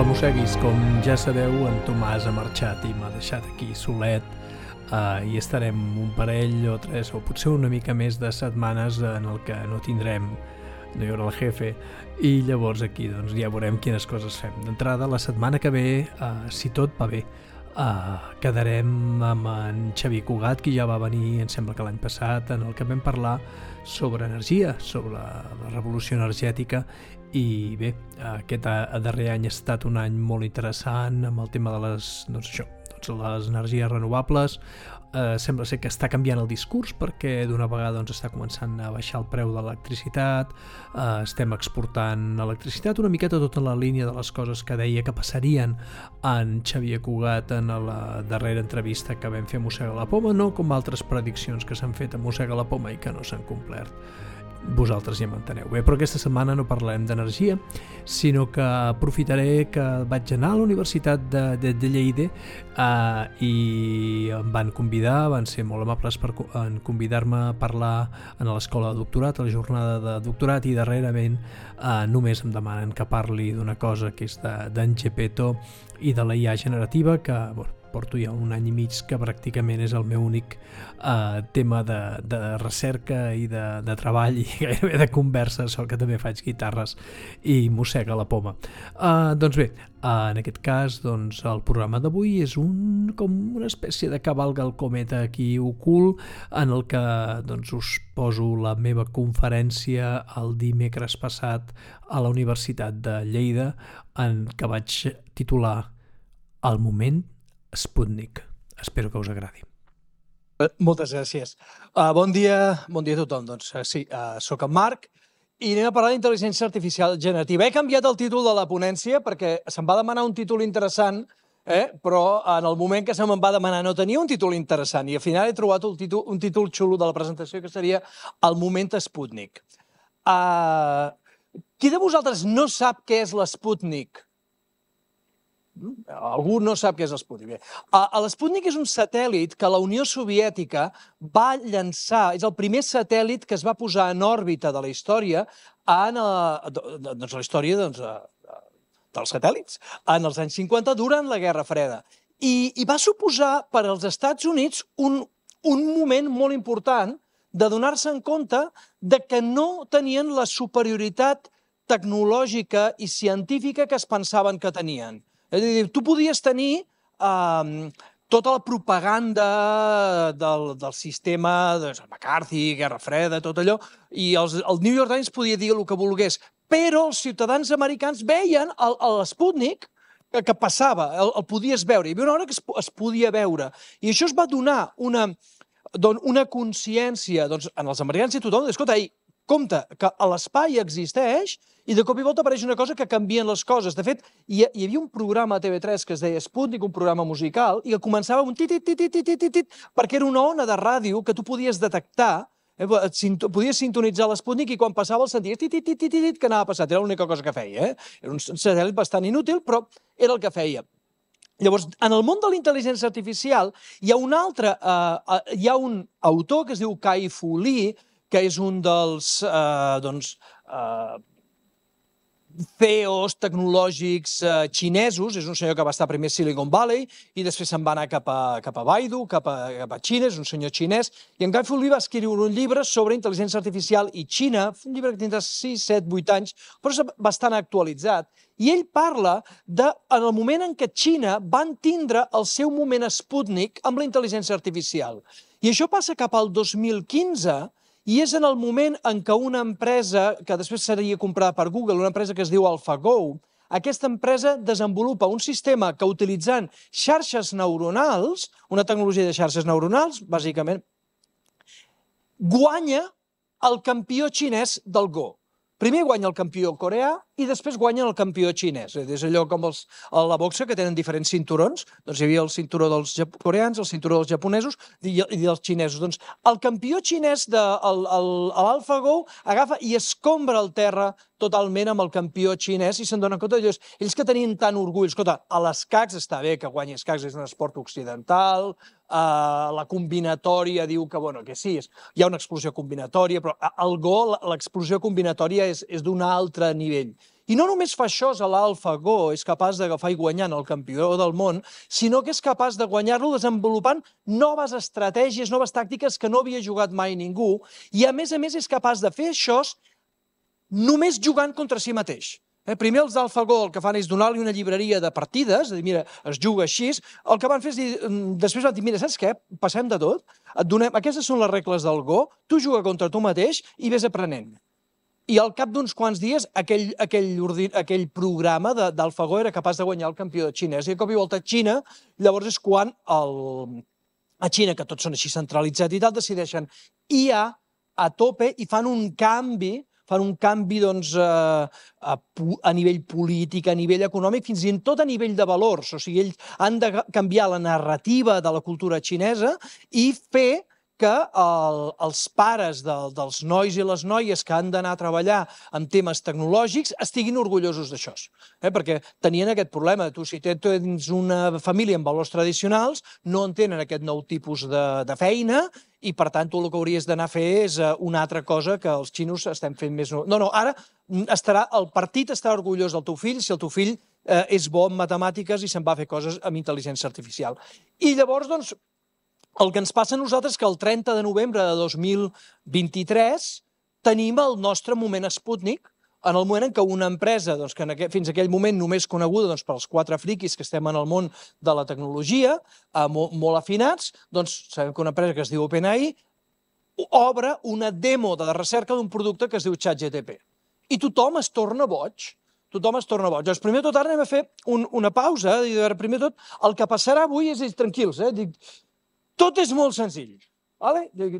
mosseguis, com ja sabeu, en Tomàs ha marxat i m'ha deixat aquí solet i estarem un parell o tres o potser una mica més de setmanes en el que no tindrem, no hi haurà el jefe, i llavors aquí doncs, ja veurem quines coses fem. D'entrada, la setmana que ve, si tot va bé, quedarem amb en Xavier Cugat, que ja va venir, em sembla que l'any passat, en el que vam parlar sobre energia, sobre la revolució energètica, i bé, aquest darrer any ha estat un any molt interessant amb el tema de les energies renovables. Sembla ser que està canviant el discurs perquè d'una vegada està començant a baixar el preu de l'electricitat, estem exportant electricitat una miqueta tot en la línia de les coses que deia que passarien en Xavier Cugat en la darrera entrevista que vam fer a Mossega la Poma, no com altres prediccions que s'han fet a Mossega la Poma i que no s'han complert. Vosaltres ja m'enteneu bé, però aquesta setmana no parlarem d'energia, sinó que aprofitaré que vaig anar a la Universitat de Lleida i em van convidar, van ser molt amables en convidar-me a parlar en l'escola de doctorat, a la jornada de doctorat, i darrerament només em demanen que parli d'una cosa que és d'en Gepetto i de la IA generativa, que porto ja un any i mig que pràcticament és el meu únic tema de recerca i de treball i gairebé de conversa, sol que també faig guitarres i Mossega la Poma. Doncs bé, en aquest cas el programa d'avui és com una espècie de cavalga el cometa aquí ocult, en el que us poso la meva conferència el dimecres passat a la Universitat de Lleida, en què vaig titular El moment Sputnik. Espero que us agradi. Moltes gràcies. Bon dia a tothom. Sí, soc en Marc i anem a parlar d'intel·ligència artificial generativa. He canviat el títol de la ponència perquè se'm va demanar un títol interessant, però en el moment que se me'n va demanar no tenia un títol interessant i al final he trobat un títol xulo de la presentació que seria El moment Sputnik. Qui de vosaltres no sap què és l'Sputnik? Algú no sap què és l'Sputnik. L'Sputnik és un satèl·lit que la Unió Soviètica va llançar, és el primer satèl·lit que es va posar en òrbita de la història, en la història dels satèl·lits, en els anys 50, durant la Guerra Freda. I va suposar per als Estats Units un moment molt important de donar-se en compte que no tenien la superioritat tecnològica i científica que es pensaven que tenien. És a dir, tu podies tenir tota la propaganda del sistema, McCarthy, Guerra Freda, tot allò, i el New York Times podia dir el que volgués, però els ciutadans americans veien l'Sputnik que passava, el podies veure. Hi havia una hora que es podia veure. I això es va donar una consciència en els americans i tothom, escolta, compte, que l'espai existeix i de cop i volta apareix una cosa que canvien les coses. De fet, hi havia un programa a TV3 que es deia Sputnik, un programa musical, i que començava amb un tit-tit-tit-tit-tit, perquè era una ona de ràdio que tu podies detectar, podies sintonitzar l'Sputnik i quan passava el senties tit-tit-tit-tit que anava passat. Era l'única cosa que feia. Era un satèl·lit bastant inútil, però era el que feia. Llavors, en el món de la intel·ligència artificial hi ha un autor que es diu Kai-Fu Lee, que és un dels CEOs tecnològics xinesos, és un senyor que va estar primer a Silicon Valley i després se'n va anar cap a Baidu, cap a Xina, és un senyor xinès, i en Kai-Fu Lee va escriure un llibre sobre intel·ligència artificial i Xina, un llibre que tindrà 6, 7, 8 anys, però és bastant actualitzat, i ell parla en el moment en què Xina van tindre el seu moment Sputnik amb la intel·ligència artificial. I això passa cap al 2015, i és en el moment en què una empresa, que després seria comprada per Google, una empresa que es diu AlphaGo, aquesta empresa desenvolupa un sistema que utilitzant xarxes neuronals, una tecnologia de xarxes neuronals, bàsicament, guanya el campió xinès del Go. Primer guanya el campió coreà i després guanya el campió xinès. És allò com la boxa, que tenen diferents cinturons. Doncs hi havia el cinturó dels coreans, el cinturó dels japonesos i dels xinesos. Doncs el campió xinès de l'AlphaGo agafa i escombra el terra totalment amb el campió xinès i se'n donen compte d'ells. Ells que tenien tant orgull, escolta, a l'escacs està bé que guanyi escacs, és un esport occidental, la combinatòria diu que sí, hi ha una explosió combinatòria, però al Go l'explosió combinatòria és d'un altre nivell. I no només fa això a l'AlphaGo, és capaç d'agafar i guanyar el campió del món, sinó que és capaç de guanyar-lo desenvolupant noves estratègies, noves tàctiques que no havia jugat mai ningú, i a més és capaç de fer això només jugant contra si mateix. Primer els d'AlphaGo el que fan és donar-li una llibreria de partides, és a dir, mira, es juga així, el que van fer és dir, després van dir, mira, saps què? Passem de tot, aquestes són les regles del Go, tu juga contra tu mateix i vés aprenent. I al cap d'uns quants dies aquell programa d'AlphaGo era capaç de guanyar el campió xinès. I a cop i volta a Xina, llavors és quan a Xina, que tots són així centralitzats i tal, decideixen IA a tope i fan un canvi doncs, a nivell polític, a nivell econòmic, fins i tot a nivell de valors. O sigui, ells han de canviar la narrativa de la cultura xinesa i fer que els pares dels nois i les noies que han d'anar a treballar en temes tecnològics estiguin orgullosos d'això. Perquè tenien aquest problema. Tu, si tens una família amb valors tradicionals, no entenen aquest nou tipus de feina i, per tant, tu el que hauries d'anar a fer és una altra cosa que els xinos estem fent més... No, ara el partit estarà orgullós del teu fill si el teu fill és bo en matemàtiques i se'n va a fer coses amb intel·ligència artificial. I llavors, doncs, el que ens passa a nosaltres és que el 30 de novembre de 2023 tenim el nostre moment Sputnik, en el moment en què una empresa, que fins aquell moment només coneguda pels 4 friquis que estem en el món de la tecnologia, molt afinats, sabem que una empresa que es diu OpenAI obre una demo de recerca d'un producte que es diu ChatGPT. I tothom es torna boig. Tothom es torna boig. Doncs primer de tot ara anem a fer una pausa. Primer de tot, el que passarà avui és tranquils. Tot és molt senzill.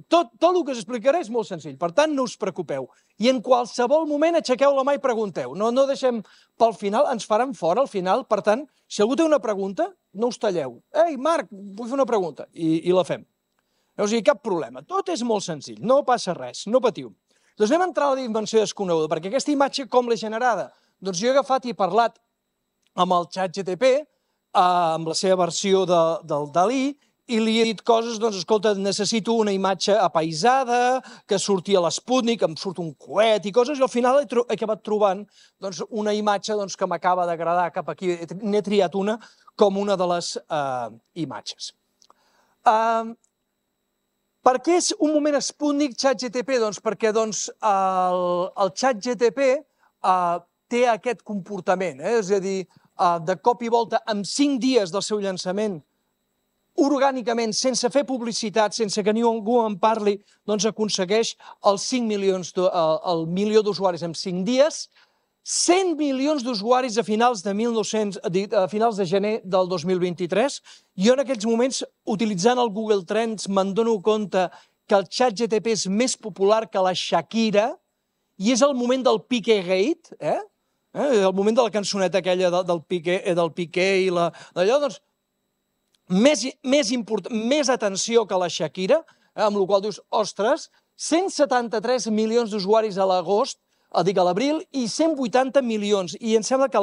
Tot el que us explicaré és molt senzill. Per tant, no us preocupeu. I en qualsevol moment aixequeu la mà i pregunteu. No deixem pel final, ens faran fora al final. Per tant, si algú té una pregunta, no us talleu. Ei, Marc, vull fer una pregunta. I la fem. O sigui, cap problema. Tot és molt senzill. No passa res. No patiu. Doncs anem a entrar a la dimensió desconeguda, perquè aquesta imatge com l'he generada? Doncs jo he agafat i he parlat amb el ChatGPT, amb la seva versió del Dalí, i li he dit coses, escolta, necessito una imatge apaisada, que surti a l'Sputnik, em surt un coet i coses, i al final he acabat trobant una imatge que m'acaba d'agradar cap aquí. N'he triat una com una de les imatges. Per què és un moment Sputnik ChatGPT? Doncs perquè el ChatGPT té aquest comportament, és a dir, de cop i volta, en 5 dies del seu llançament, orgànicament, sense fer publicitat, sense que ningú en parli, aconsegueix els 5 milions, el milió d'usuaris en 5 dies, 100 milions d'usuaris a finals de gener del 2023. Jo en aquells moments, utilitzant el Google Trends, me'n dono compte que el ChatGPT és més popular que la Shakira i és el moment del Piqué-gate, el moment de la cançoneta aquella del Piqué i d'allò, doncs, més atenció que la Shakira, amb la qual dius, ostres, 173 milions d'usuaris a l'agost, a l'abril, i 180 milions. I em sembla que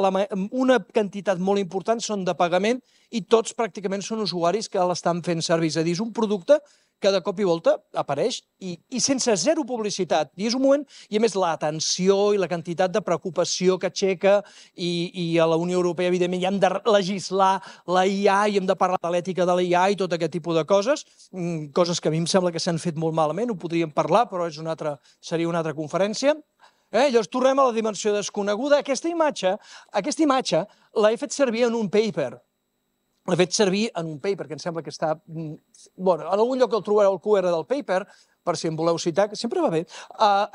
una quantitat molt important són de pagament i tots pràcticament són usuaris que l'estan fent servir. És a dir, és un producte que de cop i volta apareix i sense zero publicitat. I és un moment, i a més l'atenció i la quantitat de preocupació que aixeca, i a la Unió Europea, evidentment, ja hem de legislar la IA i hem de parlar de l'ètica de la IA i tot aquest tipus de coses, coses que a mi em sembla que s'han fet molt malament, ho podríem parlar, però seria una altra conferència. Llavors tornem a la dimensió desconeguda. Aquesta imatge l'he fet servir en un paper. L'he fet servir en un paper, que em sembla que està... Bueno, en algun lloc el trobareu el QR del paper, per si em voleu citar, que sempre va bé.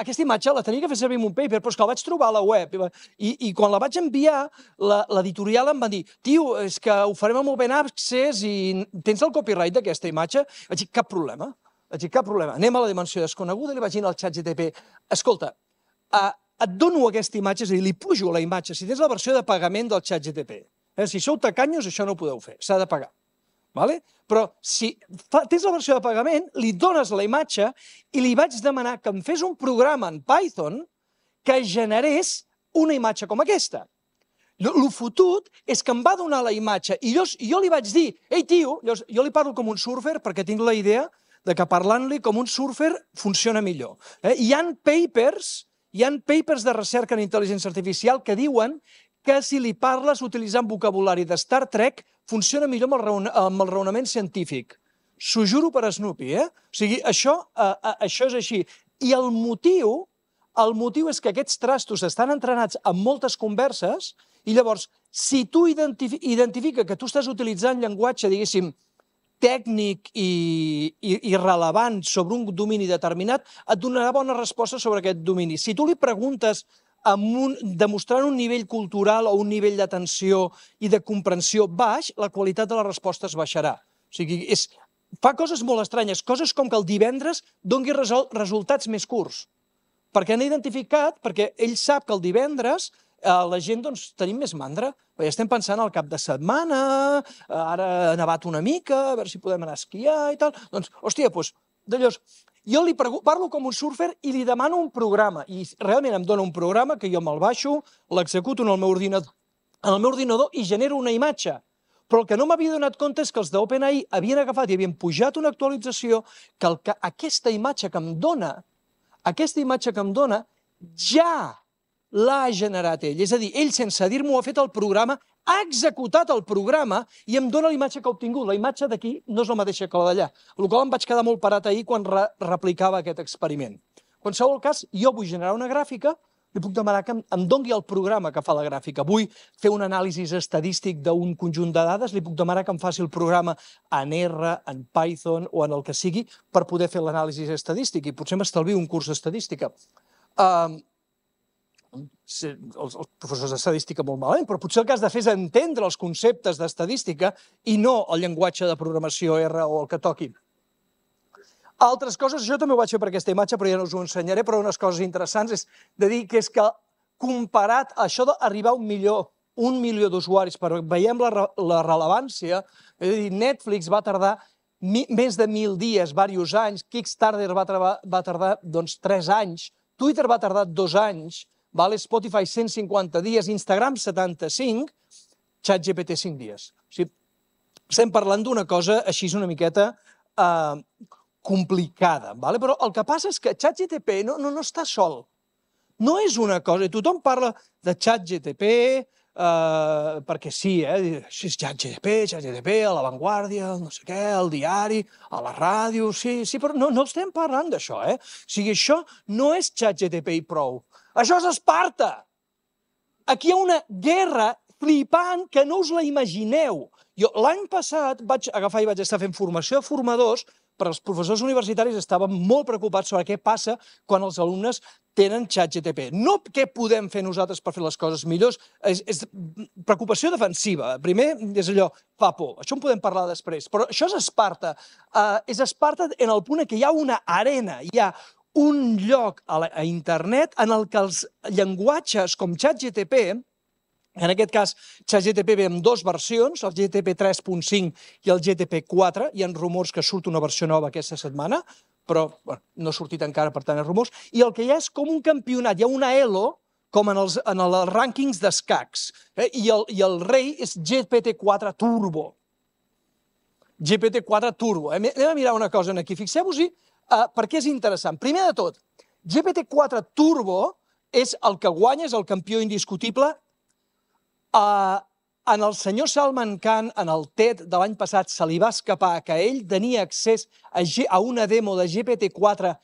Aquesta imatge la tenia que fer servir en un paper, però és que la vaig trobar a la web. I quan la vaig enviar, l'editorial em va dir, tio, és que ho farem amb Open Access i tens el copyright d'aquesta imatge? Vaig dir, cap problema. Anem a la dimensió desconeguda i li vaig dir al ChatGPT, escolta, et dono aquesta imatge, és a dir, li pujo la imatge, si tens la versió de pagament del ChatGPT. Si sou tacanyos, això no ho podeu fer, s'ha de pagar. Però si tens la versió de pagament, li dones la imatge i li vaig demanar que em fes un programa en Python que generés una imatge com aquesta. El fotut és que em va donar la imatge i jo li vaig dir, ei tio, jo li parlo com un surfer perquè tinc la idea de que parlant-li com un surfer funciona millor. Hi ha papers Hi ha papers de recerca en intel·ligència artificial que diuen que si li parles utilitzant vocabulari de Star Trek funciona millor amb el raonament científic. S'ho juro per Snoopy, eh? O sigui, això és així. I el motiu és que aquests trastos estan entrenats en moltes converses i llavors, si tu identifica que tu estàs utilitzant llenguatge, diguéssim, tècnic i rellevant sobre un domini determinat, et donarà bona resposta sobre aquest domini. Si tu li preguntes demostrant un nivell cultural o un nivell d'atenció i de comprensió baix, la qualitat de les respostes baixarà. O sigui, fa coses molt estranyes, coses com que el divendres doni resultats més curts. Perquè han identificat, perquè ell sap que el divendres la gent tenim més mandra, perquè estem pensant al cap de setmana, ara ha nevat una mica, a veure si podem anar a esquiar i tal. Doncs, hòstia, d'allòs, jo li parlo com un surfer i li demano un programa, i realment em dona un programa que jo me'l baixo, l'executo en el meu ordinador i genero una imatge. Però el que no m'havia donat compte és que els d'OpenAI havien agafat i havien pujat una actualització que aquesta imatge que em dona ja l'ha generat ell. És a dir, ell sense dir-m'ho ha fet el programa, ha executat el programa i em dona la imatge que ha obtingut. La imatge d'aquí no és la mateixa que la d'allà. Amb la qual cosa em vaig quedar molt parat ahir quan replicava aquest experiment. En qualsevol cas, jo vull generar una gràfica, li puc demanar que em doni el programa que fa la gràfica. Vull fer un anàlisi estadístic d'un conjunt de dades, li puc demanar que em faci el programa en R, en Python o en el que sigui per poder fer l'anàlisi estadístic i potser m'estalvio un curs d'estadística. Els professors d'estadística molt malament, però potser el que has de fer és entendre els conceptes d'estadística i no el llenguatge de programació R o el que toqui. Altres coses, això també ho vaig fer per aquesta imatge, però ja no us ho ensenyaré, però unes coses interessants és de dir que és que comparat a això d'arribar a 1 milió d'usuaris, però veiem la rellevància, és a dir, Netflix va tardar més de 1.000 dies, diversos anys, Kickstarter va tardar 3 anys, Twitter va tardar 2 anys, Spotify 150 dies, Instagram 75, ChatGPT 5 dies. Estem parlant d'una cosa així una miqueta complicada, però el que passa és que ChatGPT no està sol. No és una cosa, i tothom parla de ChatGPT perquè sí, és ChatGPT, a La Vanguardia, no sé què, al diari, a la ràdio, sí, però no estem parlant d'això, O sigui, això no és ChatGPT i prou. Això és Esparta! Aquí hi ha una guerra flipant que no us la imagineu. Jo l'any passat vaig agafar i vaig estar fent formació de formadors, però els professors universitaris estaven molt preocupats sobre què passa quan els alumnes tenen ChatGPT. No què podem fer nosaltres per fer les coses millors, és preocupació defensiva. Primer és allò, fa por, això en podem parlar després, però això és Esparta. És Esparta en el punt que hi ha una arena, hi ha un lloc a internet en el que els llenguatges com ChatGPT, en aquest cas ChatGPT ve amb 2 versions, el GTP 3.5 i el GTP 4, hi ha rumors que surt una versió nova aquesta setmana, però no ha sortit encara, per tant, rumors, i el que hi ha és com un campionat, hi ha una ELO, com en els rànquings d'escacs, i el rei és GPT-4 Turbo. GPT-4 Turbo. Anem a mirar una cosa aquí, fixeu-vos-hi, perquè és interessant. Primer de tot, GPT-4 Turbo és el que guanya, és el campió indiscutible. En el senyor Salman Khan, en el TED de l'any passat, se li va escapar que ell tenia accés a una demo de GPT-4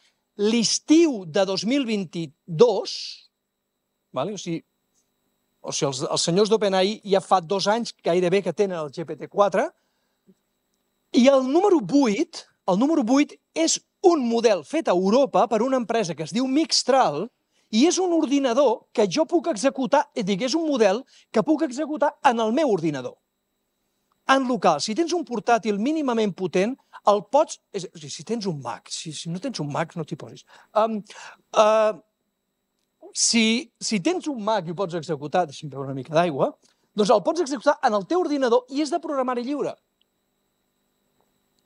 l'estiu de 2022, o sigui, els senyors d'OpenAI ja fa 2 anys gairebé que tenen el GPT-4, i el número 8 és un model fet a Europa per una empresa que es diu Mixtral, i és un ordinador que jo puc executar, és un model que puc executar en el meu ordinador. En local, si tens un portàtil mínimament potent, el pots... Si tens un Mac, si no tens un Mac, no t'hi posis. Si tens un Mac i ho pots executar, deixa'm beure una mica d'aigua, doncs el pots executar en el teu ordinador i és de programari lliure.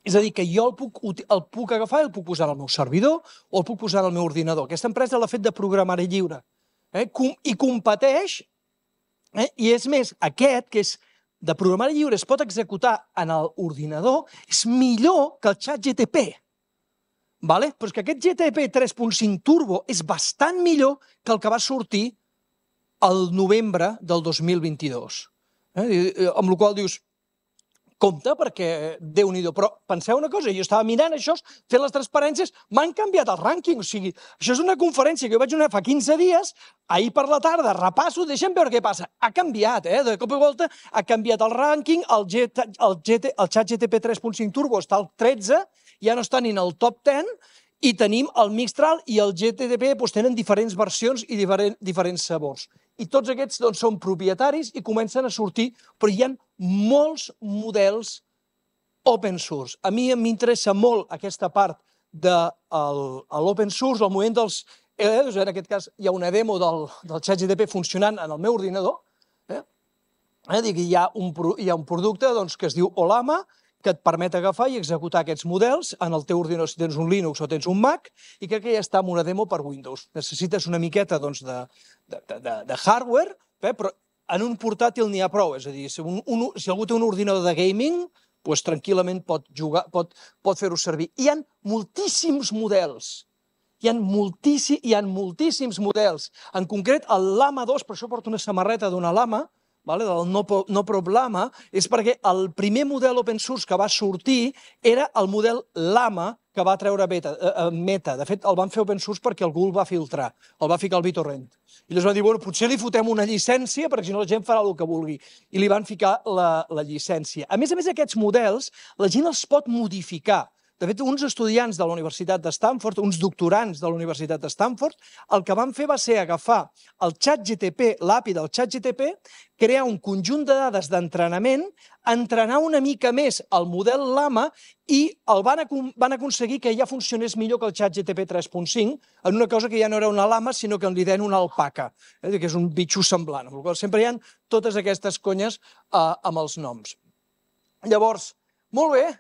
És a dir, que jo el puc agafar i el puc posar al meu servidor o el puc posar al meu ordinador. Aquesta empresa l'ha fet de programari lliure. I competeix, i és més, aquest, que és de programari lliure, es pot executar en l'ordinador, és millor que el ChatGPT. Però és que aquest GTP 3.5 Turbo és bastant millor que el que va sortir el novembre del 2022. Amb la qual dius, compte, perquè Déu-n'hi-do. Però penseu una cosa, jo estava mirant això, fent les transparències, m'han canviat el rànquing. O sigui, això és una conferència que jo vaig donar fa 15 dies, ahir per la tarda, repasso, deixem veure què passa. Ha canviat, de cop i volta, ha canviat el rànquing, el ChatGTP 3.5 Turbo està al 13, ja no està ni en el top 10, i tenim el Mistral i el GTP, tenen diferents versions i diferents sabors. I tots aquests són propietaris i comencen a sortir, però hi ha molts models open source. A mi m'interessa molt aquesta part de l'open source, el moviment dels LLMs. En aquest cas hi ha una demo del ChatGTP funcionant en el meu ordinador. Hi ha un producte que es diu Ollama, que et permet agafar i executar aquests models en el teu ordinador, si tens un Linux o tens un Mac, i crec que ja està en una demo per Windows. Necessites una miqueta de hardware, però en un portàtil n'hi ha prou. És a dir, si algú té un ordinador de gaming, tranquil·lament pot fer-ho servir. Hi ha moltíssims models. Hi ha moltíssims models. En concret, el Llama 2, per això porto una samarreta d'una Llama, del No-Prob Llama, és perquè el primer model open source que va sortir era el model Llama que va treure Meta. De fet, el van fer open source perquè el Google va filtrar, el va ficar al BitTorrent. I llavors van dir, potser li fotem una llicència perquè si no la gent farà el que vulgui. I li van ficar la llicència. A més, aquests models, la gent els pot modificar. De fet, uns estudiants de la Universitat de Stanford, uns doctorants de la Universitat de Stanford, el que van fer va ser agafar el ChatGTP, l'API del ChatGTP, crear un conjunt de dades d'entrenament, entrenar una mica més el model Llama i van aconseguir que ja funcionés millor que el ChatGTP 3.5 en una cosa que ja no era una Llama, sinó que li deien una alpaca, que és un bitxo semblant. Sempre hi ha totes aquestes conyes amb els noms. Llavors, molt bé,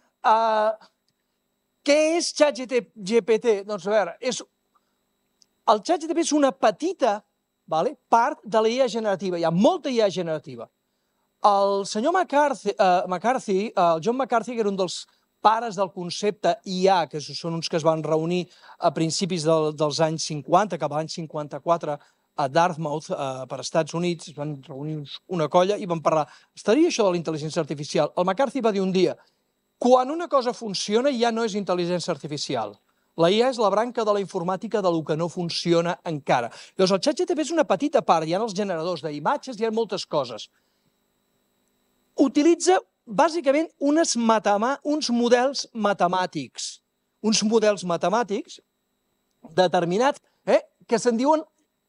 què és ChatGPT? Doncs a veure, el ChatGPT és una petita part de la IA generativa. Hi ha molta IA generativa. El senyor McCarthy, el John McCarthy, que era un dels pares del concepte IA, que són uns que es van reunir a principis dels anys 50, cap a l'any 54, a Dartmouth, per Estats Units, es van reunir una colla i van parlar. Estaria això de la intel·ligència artificial? El McCarthy va dir un dia, quan una cosa funciona ja no és intel·ligència artificial. La IA és la branca de la informàtica del que no funciona encara. Llavors, el ChatGPT és una petita part, hi ha els generadors d'imatges, hi ha moltes coses. Utilitza, bàsicament, uns models matemàtics. Uns models matemàtics determinats que se'n diuen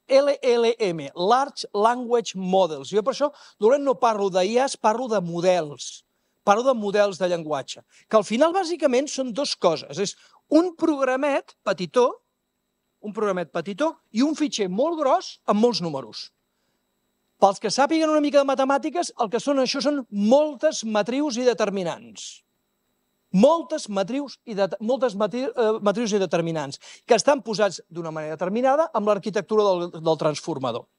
LLM, Large Language Models. Jo per això no parlo d'IAs, parlo de models. Parlo de models de llenguatge, que al final bàsicament són dues coses. És un programet petitó i un fitxer molt gros amb molts números. Pels que sàpiguen una mica de matemàtiques, el que són això són moltes matrius i determinants. Moltes matrius i determinants, que estan posats d'una manera determinada amb l'arquitectura del transformador.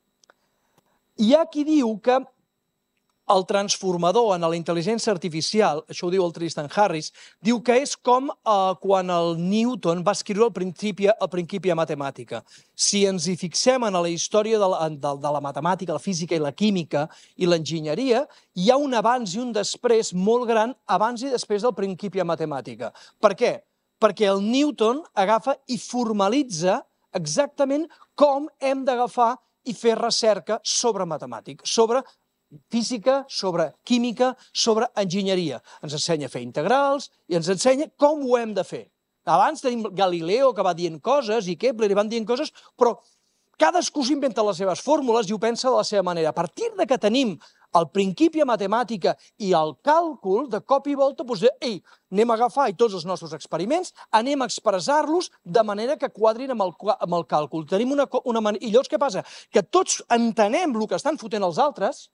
Hi ha qui diu que el transformador en la intel·ligència artificial, això ho diu el Tristan Harris, diu que és com quan el Newton va escriure el Principia Mathematica. Si ens hi fixem en la història de la matemàtica, la física i la química i l'enginyeria, hi ha un abans i un després molt gran abans i després del Principia Mathematica. Per què? Perquè el Newton agafa i formalitza exactament com hem d'agafar i fer recerca sobre matemàtica, sobre física, sobre química, sobre enginyeria. Ens ensenya a fer integrals i ens ensenya com ho hem de fer. Abans tenim Galileo, que va dient coses, i Kepler, i van dient coses, però cadascú s'inventa les seves fórmules i ho pensa de la seva manera. A partir que tenim el Principia Mathematica i el càlcul, de cop i volta, anem a agafar tots els nostres experiments, anem a expressar-los de manera que quadrin amb el càlcul. I llavors què passa? Que tots entenem el que estan fotent els altres,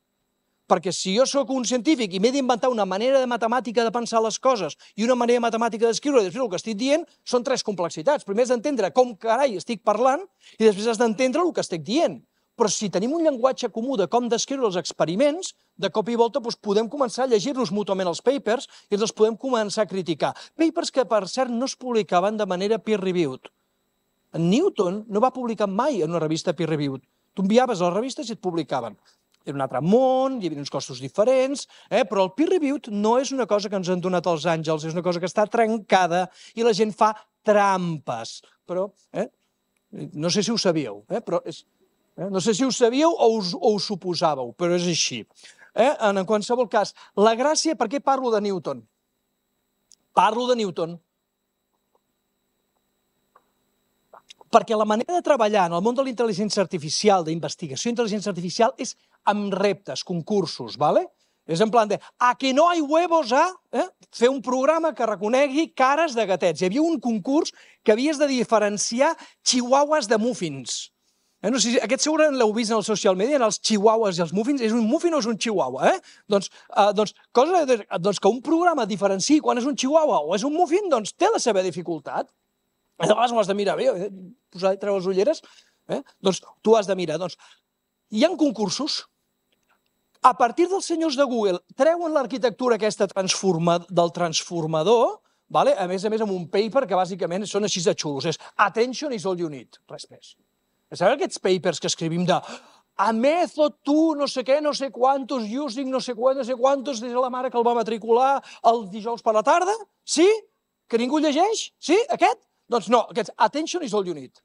perquè si jo sóc un científic i m'he d'inventar una manera de matemàtica de pensar les coses i una manera matemàtica d'escriure, després el que estic dient són tres complexitats. Primer has d'entendre com carai estic parlant i després has d'entendre el que estic dient. Però si tenim un llenguatge comú de com descriure els experiments, de cop i volta podem començar a llegir-nos mútuament els papers i els podem començar a criticar. Papers que, per cert, no es publicaven de manera peer-reviewed. En Newton no va publicar mai en una revista peer-reviewed. Tu enviaves a les revistes i et publicaven. Era un altre món, hi havia uns costos diferents, però el peer-reviewed no és una cosa que ens han donat els àngels, és una cosa que està trencada i la gent fa trampes. Però, no sé si ho sabíeu, però és... No sé si ho sabíeu o us suposàveu, però és així. En qualsevol cas, la gràcia... Per què parlo de Newton? Parlo de Newton perquè la manera de treballar en el món de la intel·ligència artificial, d'investigació d'intel·ligència artificial, és amb reptes, concursos, ¿vale? És en plan de, a que no hay huevos a fer un programa que reconegui cares de gatets. Hi havia un concurs que havies de diferenciar chihuahuas de muffins. No sé si aquest segurament l'heu vist en el social media, en els chihuahuas i els muffins. És un muffin o és un chihuahua? Doncs que un programa diferenciï quan és un chihuahua o és un muffin, doncs té la seva dificultat. A vegades ho has de mirar bé, posar i treure les ulleres. Doncs tu has de mirar. Hi ha concursos. A partir dels senyors de Google treuen l'arquitectura aquesta del transformador, a més amb un paper que bàsicament són així de xulos. És Attention is all you need, res més. Sabeu aquests papers que escrivim de a method to no sé què, no sé quantos, using no sé quantos, des de la mare que el va matricular el dijous per la tarda? Sí? Que ningú llegeix? Sí? Aquest? Doncs no, aquests Attention is all you need.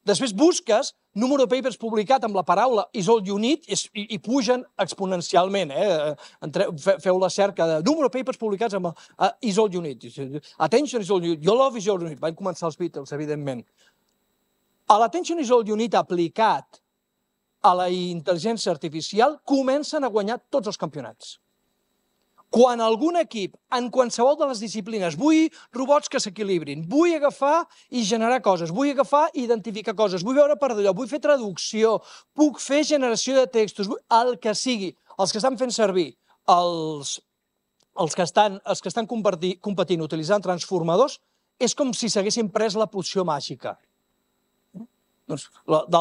Després busques número de papers publicat amb la paraula is all you need i pugen exponencialment. Feu la cerca de número de papers publicats amb is all you need. Attention is all you need. Your love is all you need. Van començar els Beatles, evidentment. L'Attention is all you need aplicat a la intel·ligència artificial comencen a guanyar tots els campionats. Quan algun equip, en qualsevol de les disciplines, vull robots que s'equilibrin, vull agafar i generar coses, vull agafar i identificar coses, vull veure per d'allò, vull fer traducció, puc fer generació de textos, el que sigui, els que estan fent servir, els que estan competint utilitzant transformadors, és com si s'haguessin pres la poció màgica de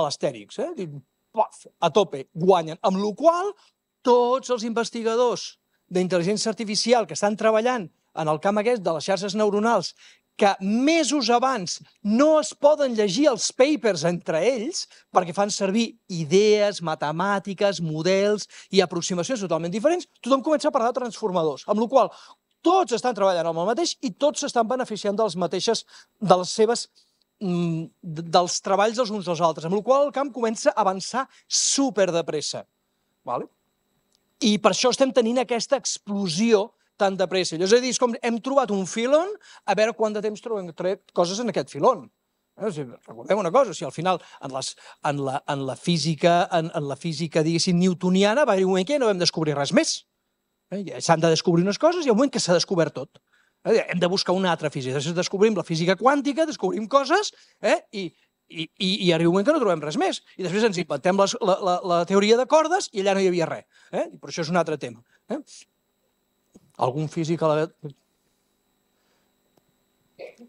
l'Astèrix, a tope, guanyen. Amb la qual cosa, tots els investigadors d'intel·ligència artificial que estan treballant en el camp aquest de les xarxes neuronals, que mesos abans no es poden llegir els papers entre ells perquè fan servir idees, matemàtiques, models i aproximacions totalment diferents, tothom comença a parlar de transformadors, amb la qual cosa tots estan treballant amb el mateix i tots s'estan beneficiant dels treballs dels uns dels altres, amb la qual cosa el camp comença a avançar superdepressa. I per això estem tenint aquesta explosió tan de pressa. És a dir, és com hem trobat un filon, a veure quant de temps trobem coses en aquest filon. Recordem una cosa, al final, en la física, diguéssim, newtoniana, va haver un moment que no vam descobrir res més. S'han de descobrir unes coses i hi ha un moment que s'ha descobert tot. Hem de buscar una altra física. Després descobrim la física quàntica, descobrim coses i arriba un moment que no trobem res més. I després ens inventem la teoria de cordes i allà no hi havia res. Però això és un altre tema. Algun físic...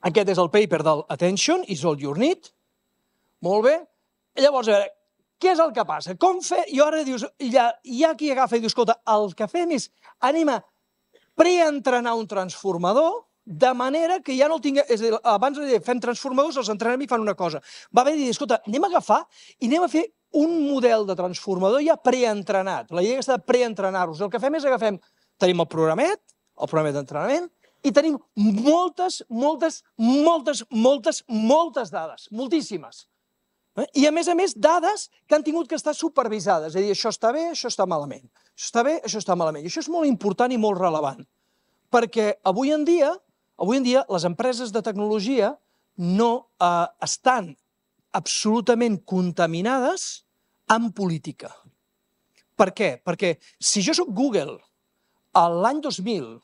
Aquest és el paper del Attention is all you need. Molt bé. Llavors, a veure, què és el que passa? Com fer... I ara dius, hi ha qui agafa i diu, escolta, el que fem és anem a preentrenar un transformador de manera que ja no el tinguem... És a dir, abans fem transformadors, els entrenem i fan una cosa. Va haver de dir, escolta, anem a agafar i anem a fer un model de transformador ja preentrenat. La idea és de preentrenar-los. El que fem és tenim el programet d'entrenament, i tenim moltes dades, moltíssimes. I, a més, dades que han tingut que estar supervisades. És a dir, això està bé, això està malament. Això està bé, això està malament. I això és molt important i molt rellevant. Perquè avui en dia les empreses de tecnologia no estan absolutament contaminades amb política. Per què? Perquè si jo soc Google l'any 2000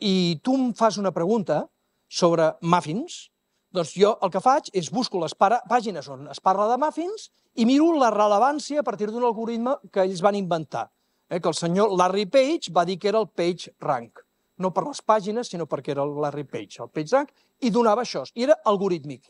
i tu em fas una pregunta sobre muffins, doncs jo el que faig és busco les pàgines on es parla de muffins i miro la rellevància a partir d'un algoritme que ells van inventar, que el senyor Larry Page va dir que era el PageRank. No per les pàgines, sinó perquè era el Larry Page, el PageRank, i donava això, i era algorítmic.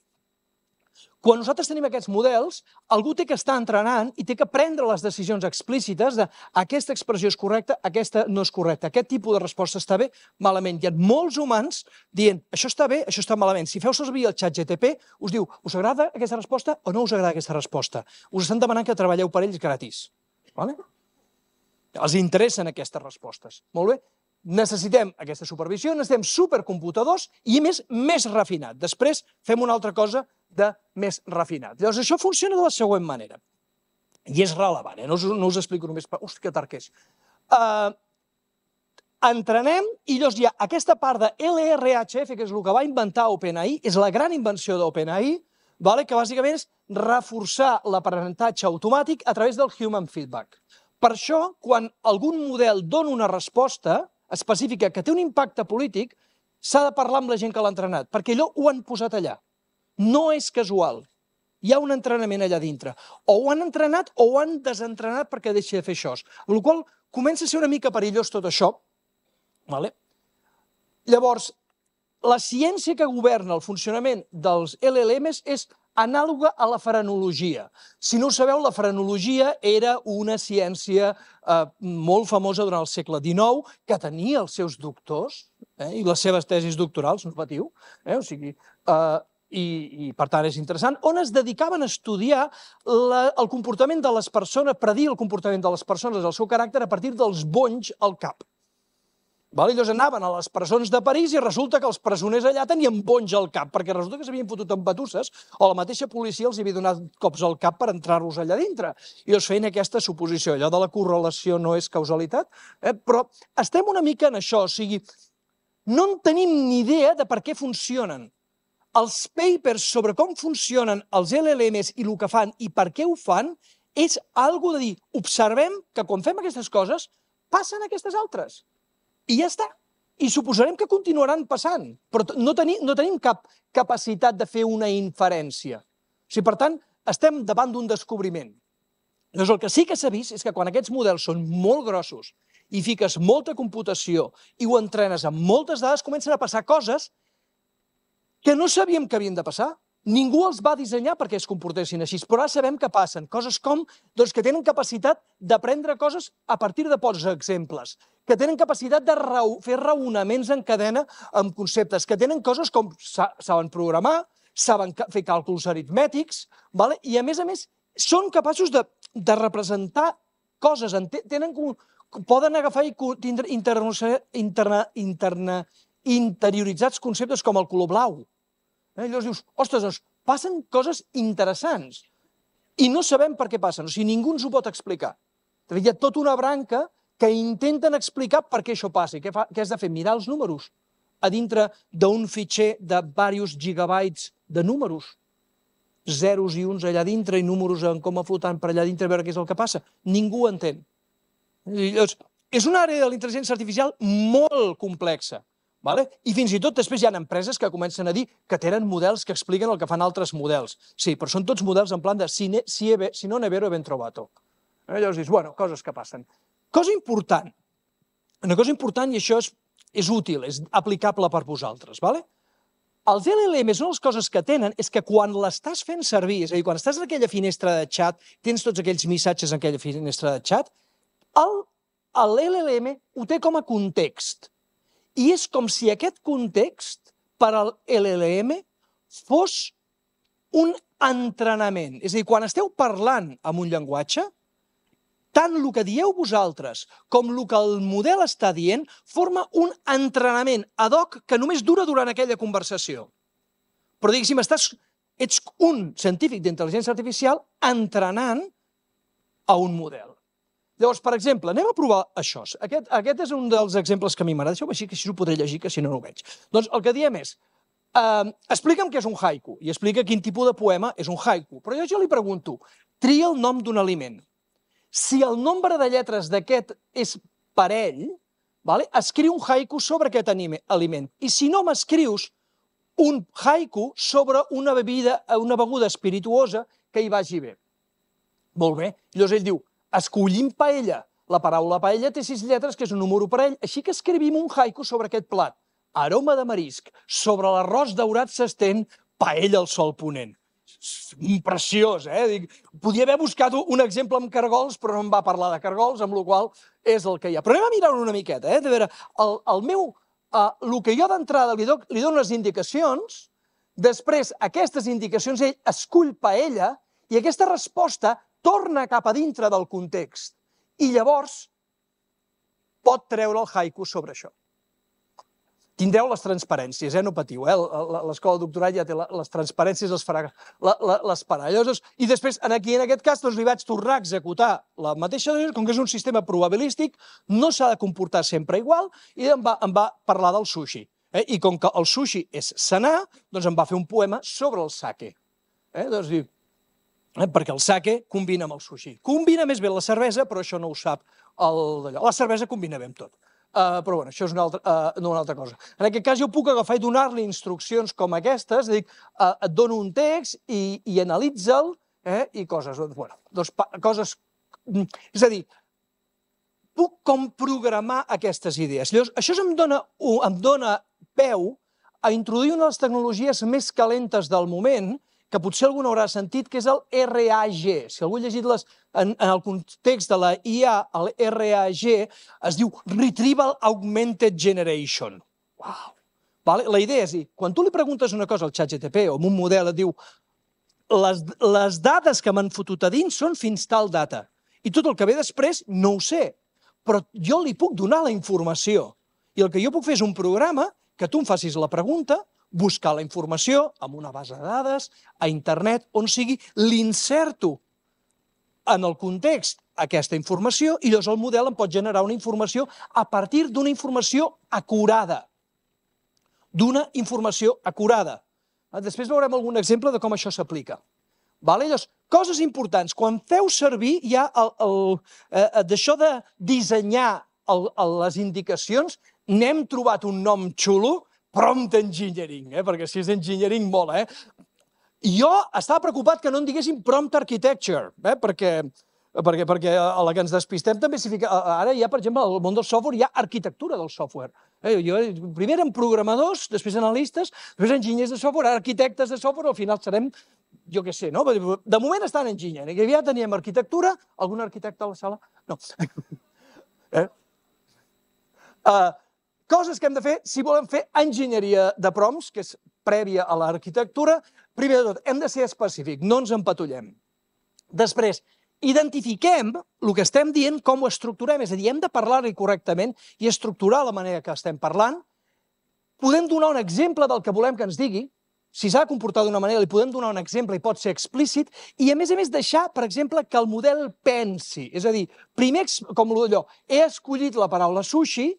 Quan nosaltres tenim aquests models, algú té que estar entrenant i té que prendre les decisions explícites de aquesta expressió és correcta, aquesta no és correcta, aquest tipus de resposta està bé, malament. Hi ha molts humans dient això està bé, això està malament. Si feu servir el ChatGPT, us diu us agrada aquesta resposta o no us agrada aquesta resposta. Us estan demanant que treballeu per ells gratis. Vale? Els interessen aquestes respostes. Molt bé? Necessitem aquesta supervisió, necessitem supercomputadors i, a més, més refinat. Després fem una altra cosa de més refinat. Llavors, això funciona de la següent manera. I és relevant, no us explico només per... Hosti, que tard que és. Entrenem i llavors hi ha aquesta part de LRHF, que és el que va inventar OpenAI, és la gran invenció d'OpenAI, que bàsicament és reforçar l'aprenentatge automàtic a través del human feedback. Per això, quan algun model dona una resposta específica que té un impacte polític, s'ha de parlar amb la gent que l'ha entrenat, perquè allò ho han posat allà. No és casual. Hi ha un entrenament allà dintre. O ho han entrenat o ho han desentrenat perquè deixi de fer això. Amb la qual cosa comença a ser una mica perillós tot això. Llavors, la ciència que governa el funcionament dels LLMs és anàloga a la frenologia. Si no ho sabeu, la frenologia era una ciència molt famosa durant el segle XIX, que tenia els seus doctors i les seves tesis doctorals, no patiu, i per tant és interessant, on es dedicaven a estudiar el comportament de les persones, predir el comportament de les persones, el seu caràcter, a partir dels bonys al cap. Llavors anaven a les presons de París i resulta que els presoners allà tenien bonys al cap, perquè resulta que s'havien fotut amb batusses o la mateixa policia els havia donat cops al cap per entrar-los allà dintre. I llavors feien aquesta suposició, allò de la correlació no és causalitat, però estem una mica en això, o sigui, no en tenim ni idea de per què funcionen. Els papers sobre com funcionen els LLMs i el que fan i per què ho fan és algo de dir, observem que quan fem aquestes coses passen aquestes altres. I ja està. I suposarem que continuaran passant, però no tenim cap capacitat de fer una inferència. Per tant, estem davant d'un descobriment. Llavors, el que sí que s'ha vist és que quan aquests models són molt grossos i fiques molta computació i ho entrenes amb moltes dades, comencen a passar coses que no sabíem que havien de passar. Ningú els va dissenyar perquè es comportessin així, però ara sabem que passen. Coses com que tenen capacitat d'aprendre coses a partir de pocs exemples, que tenen capacitat de fer raonaments en cadena amb conceptes, que tenen coses com saben programar, saben fer càlculs aritmètics, i a més són capaços de representar coses, poden agafar i tindre interioritzats conceptes com el color blau. Llavors dius, ostres, passen coses interessants i no sabem per què passen, o sigui, ningú ens ho pot explicar. Hi ha tota una branca que intenten explicar per què això passa. Què has de fer? Mirar els números a dintre d'un fitxer de diversos gigabytes de números, zeros i uns allà dintre i números en coma flotant per allà dintre a veure què és el que passa. Ningú ho entén. Llavors, és una àrea de la intel·ligència artificial molt complexa. I fins i tot després hi ha empreses que comencen a dir que tenen models que expliquen el que fan altres models. Sí, però són tots models en plan de si no ne vero ben trovato. Llavors dius, bueno, coses que passen. Cosa important, una cosa important i això és útil, és aplicable per vosaltres. Els LLMs, una de les coses que tenen és que quan l'estàs fent servir, és a dir, quan estàs en aquella finestra de xat, tens tots aquells missatges en aquella finestra de xat, l'LLM ho té com a context. I és com si aquest context per al LLM fos un entrenament. És a dir, quan esteu parlant amb un llenguatge, tant el que dieu vosaltres com el que el model està dient forma un entrenament ad hoc que només dura durant aquella conversació. Però diguéssim, ets un científic d'intel·ligència artificial entrenant a un model. Llavors, per exemple, anem a provar això. Aquest és un dels exemples que a mi m'agrada. Deixeu-me així, que així ho podré llegir, que si no, no ho veig. Doncs el que diem és, explica'm què és un haiku, i explica quin tipus de poema és un haiku. Però jo li pregunto, tria el nom d'un aliment. Si el nombre de lletres d'aquest és parell, escriu un haiku sobre aquest aliment. I si no, m'escrius un haiku sobre una beguda espirituosa que hi vagi bé. Molt bé. Llavors ell diu, escollim paella. La paraula paella té 6 lletres, que és un número parell, així que escrivim un haiku sobre aquest plat. Aroma de marisc, sobre l'arròs daurat s'estén paella al sol ponent. preciós, Dic, podia haver buscat un exemple amb cargols, però no em va parlar de cargols, amb la qual és el que hi ha. Però anem a mirar-ho una miqueta, de veure, el que jo d'entrada li dono les indicacions, després aquestes indicacions ell escull paella i aquesta resposta torna cap a dintre del context i llavors pot treure el haiku sobre això. Tindreu les transparències, no patiu, l'escola de doctorat ja té les transparències, les farà les i després, aquí en aquest cas, li vaig tornar a executar la mateixa, com que és un sistema probabilístic, no s'ha de comportar sempre igual, i em va parlar del sushi. I com que el sushi és sanar, doncs em va fer un poema sobre el sake. Doncs diu, perquè el sake combina amb el sushi. Combina més bé la cervesa, però això no ho sap d'allò. La cervesa combina bé amb tot. Però bueno, això és una altra cosa. En aquest cas jo puc agafar i donar-li instruccions com aquestes, et dono un text i analitza'l i coses. Coses... És a dir, puc com programar aquestes idees. Llavors, això em dona peu a introduir una de les tecnologies més calentes del moment, que potser algú no haurà sentit, que és el RAG. Si algú ha llegit en el context de la IA, el RAG es diu Retrieval Augmented Generation. Uau! La idea és dir, quan tu li preguntes una cosa al ChatGPT o a un model et diu les dades que m'han fotut a dins són fins tal data i tot el que ve després no ho sé, però jo li puc donar la informació i el que jo puc fer és un programa que tu em facis la pregunta, buscar la informació en una base de dades, a internet, on sigui, l'inserto en el context aquesta informació i llavors el model em pot generar una informació a partir d'una informació acurada. Després veurem algun exemple de com això s'aplica. Llavors, coses importants. Quan feu servir ja d'això de dissenyar les indicacions, n'hem trobat un nom xulo, prompt engineering, perquè si és engineering mola. Jo estava preocupat que no en diguéssim prompt architecture, perquè a la que ens despistem també s'hi fica... Ara hi ha, per exemple, al món del software hi ha arquitectura del software. Primer eren programadors, després analistes, després enginyers de software, arquitectes de software, al final serem, jo què sé, no? De moment estan enginyers. Ja teníem arquitectura, algun arquitecte a la sala? No. Coses que hem de fer si volem fer enginyeria de prompts, que és prèvia a l'arquitectura. Primer de tot, hem de ser específics, no ens empatollem. Després, identifiquem el que estem dient, com ho estructurem, és a dir, hem de parlar-hi correctament i estructurar la manera que estem parlant. Podem donar un exemple del que volem que ens digui. Si s'ha de comportar d'una manera, li podem donar un exemple i pot ser explícit, i a més deixar, per exemple, que el model pensi. És a dir, primer, com allò, he escollit la paraula sushi,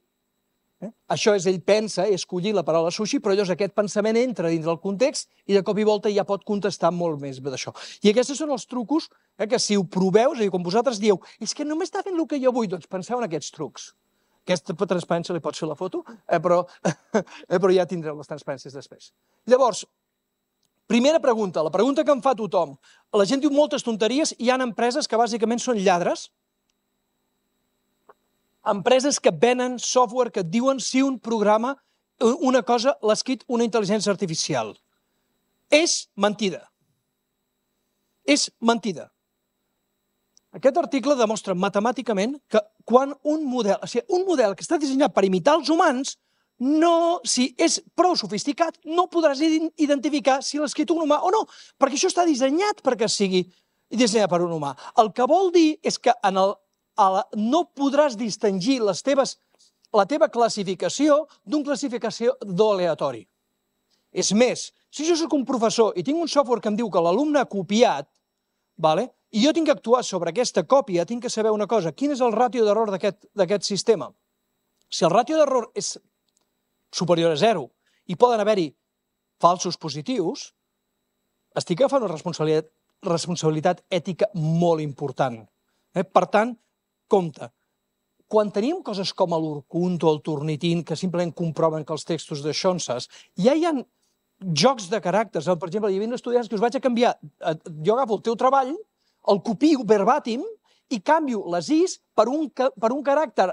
això és ell pensa, he escollit la paraula sushi, però llavors aquest pensament entra dins del context i de cop i volta ja pot contestar molt més d'això. I aquests són els trucos que si ho proveu, és a dir, quan vosaltres dieu és que no m'està fent el que jo vull, doncs penseu en aquests trucs. Aquesta transparència li pots fer la foto, però ja tindreu les transparències després. Llavors, primera pregunta, la pregunta que em fa tothom. La gent diu moltes tonteries, hi ha empreses que bàsicament són lladres, empreses que venen software que et diuen si un programa, una cosa, l'ha escrit una intel·ligència artificial. És mentida. És mentida. Aquest article demostra matemàticament que quan un model que està dissenyat per imitar els humans, si és prou sofisticat, no podràs identificar si l'ha escrit un humà o no, perquè això està dissenyat perquè sigui dissenyat per un humà. El que vol dir és que no podràs distingir la teva classificació d'un classificador aleatori. És més, si jo soc un professor i tinc un software que em diu que l'alumne ha copiat, i jo tinc que actuar sobre aquesta còpia, tinc que saber una cosa, quin és el ràtio d'error d'aquest sistema? Si el ràtio d'error és superior a 0 i poden haver-hi falsos positius, estic agafant una responsabilitat ètica molt important. Per tant, compte, quan tenim coses com l'Urkunt o el Turnitin que simplement comproven que els textos de Xonses, ja hi ha jocs de caràcters. Per exemple, hi havia estudiants que us vaig a canviar, jo agafo el teu treball, el copio verbatim i canvio les Is per un caràcter,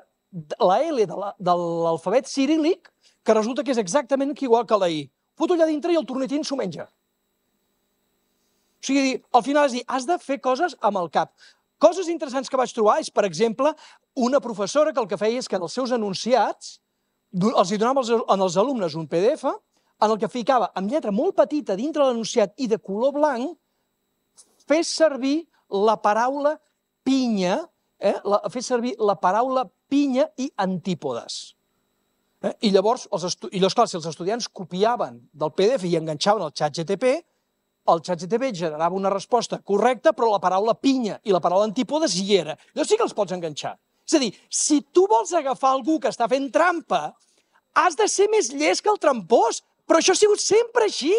la L de l'alfabet ciríl·lic, que resulta que és exactament igual que la I. Foto allà dintre i el Turnitin s'ho menja. O sigui, al final és dir, has de fer coses amb el cap. Coses interessants que vaig trobar és, per exemple, una professora que el que feia és que en els seus enunciats els hi donava als alumnes un PDF en el que ficava amb lletra molt petita dintre l'enunciat i de color blanc fes servir la paraula pinya, fes servir la paraula pinya i antípodes. I llavors, clar, si els estudiants copiaven del PDF i enganxaven al ChatGTP, el ChatGTP generava una resposta correcta, però la paraula pinya i la paraula antípodes hi era. Llavors sí que els pots enganxar. És a dir, si tu vols agafar algú que està fent trampa, has de ser més llest que el trampós, però això ha sigut sempre així.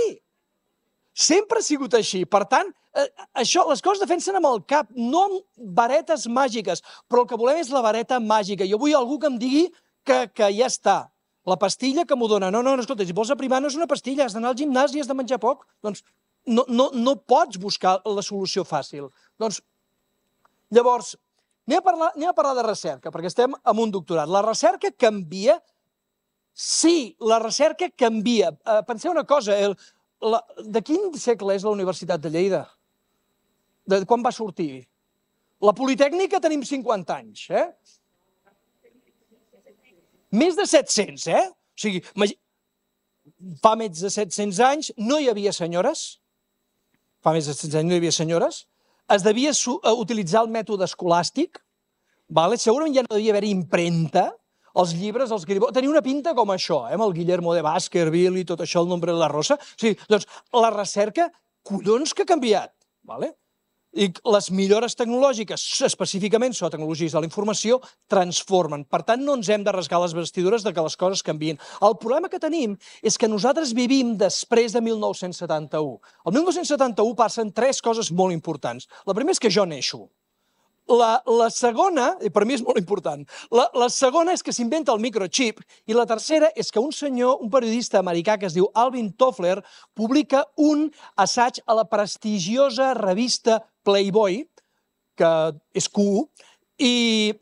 Sempre ha sigut així. Per tant, les coses defensen amb el cap, no amb varetes màgiques, però el que volem és la vareta màgica. Jo vull algú que em digui que ja està. La pastilla que m'ho dona. No, escolta, si vols aprimar no és una pastilla, has d'anar al gimnàs i has de menjar poc. Doncs no pots buscar la solució fàcil. Doncs, llavors, anem a parlar de recerca, perquè estem en un doctorat. La recerca canvia? Sí, la recerca canvia. Penseu una cosa, de quin segle és la Universitat de Lleida? De quan va sortir? La Politècnica tenim 50 anys, Més de 700, O sigui, fa més de 700 anys no hi havia senyores, es devia utilitzar el mètode escolàstic, segurament ja no devia haver impremta, els llibres, tenia una pinta com això, amb el Guillermo de Baskerville i tot això, el Nombre de la Rosa. O sigui, doncs, la recerca, collons que ha canviat, I les millores tecnològiques, específicament sobre tecnologies de la informació, transformen. Per tant, no ens hem de rasgar les vestidures de que les coses canvien. El problema que tenim és que nosaltres vivim després de 1971. El 1971 passen 3 coses molt importants. La primera és que jo neixo. La segona, i per mi és molt important, la segona és que s'inventa el microchip i la tercera és que un senyor, un periodista americà que es diu Alvin Toffler, publica un assaig a la prestigiosa revista Playboy, que és Q, i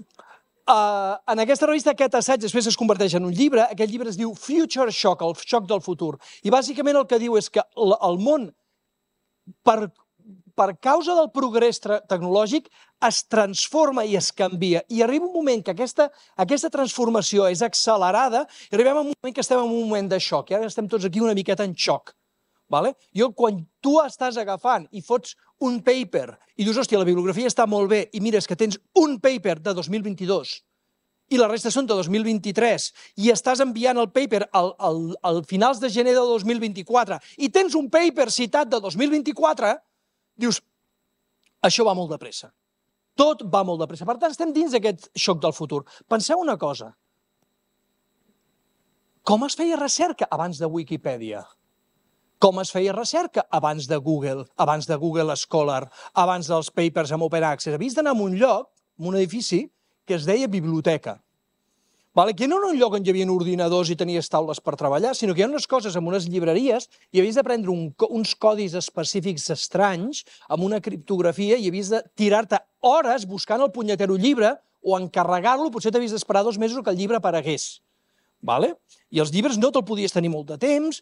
en aquesta revista aquest assaig després es converteix en un llibre. Aquest llibre es diu Future Shock, el xoc del futur. I bàsicament el que diu és que el món, per causa del progrés tecnològic, es transforma i es canvia. I arriba un moment que aquesta transformació és accelerada i arribem a un moment que estem en un moment de xoc. I ara estem tots aquí una miqueta en xoc. Quan tu estàs agafant i fots un paper i dius, hòstia, la bibliografia està molt bé i mires que tens un paper de 2022 i la resta són de 2023 i estàs enviant el paper al finals de gener de 2024 i tens un paper citat de 2024, dius, això va molt de pressa. Tot va molt de pressa. Per tant, estem dins d'aquest xoc del futur. Penseu una cosa. Com es feia recerca abans de Wikipedia? Com es feia recerca abans de Google Scholar, abans dels papers amb Open Access? Havies d'anar a un lloc, a un edifici, que es deia biblioteca. Que no era un lloc on hi havia ordinadors i tenies taules per treballar, sinó que hi ha unes coses amb unes llibreries i havies d'aprendre uns codis específics estranys, amb una criptografia, i havies de tirar-te hores buscant el punyetero llibre o encarregar-lo, potser t'havies d'esperar 2 mesos que el llibre aparegués. I els llibres no te'l podies tenir molt de temps.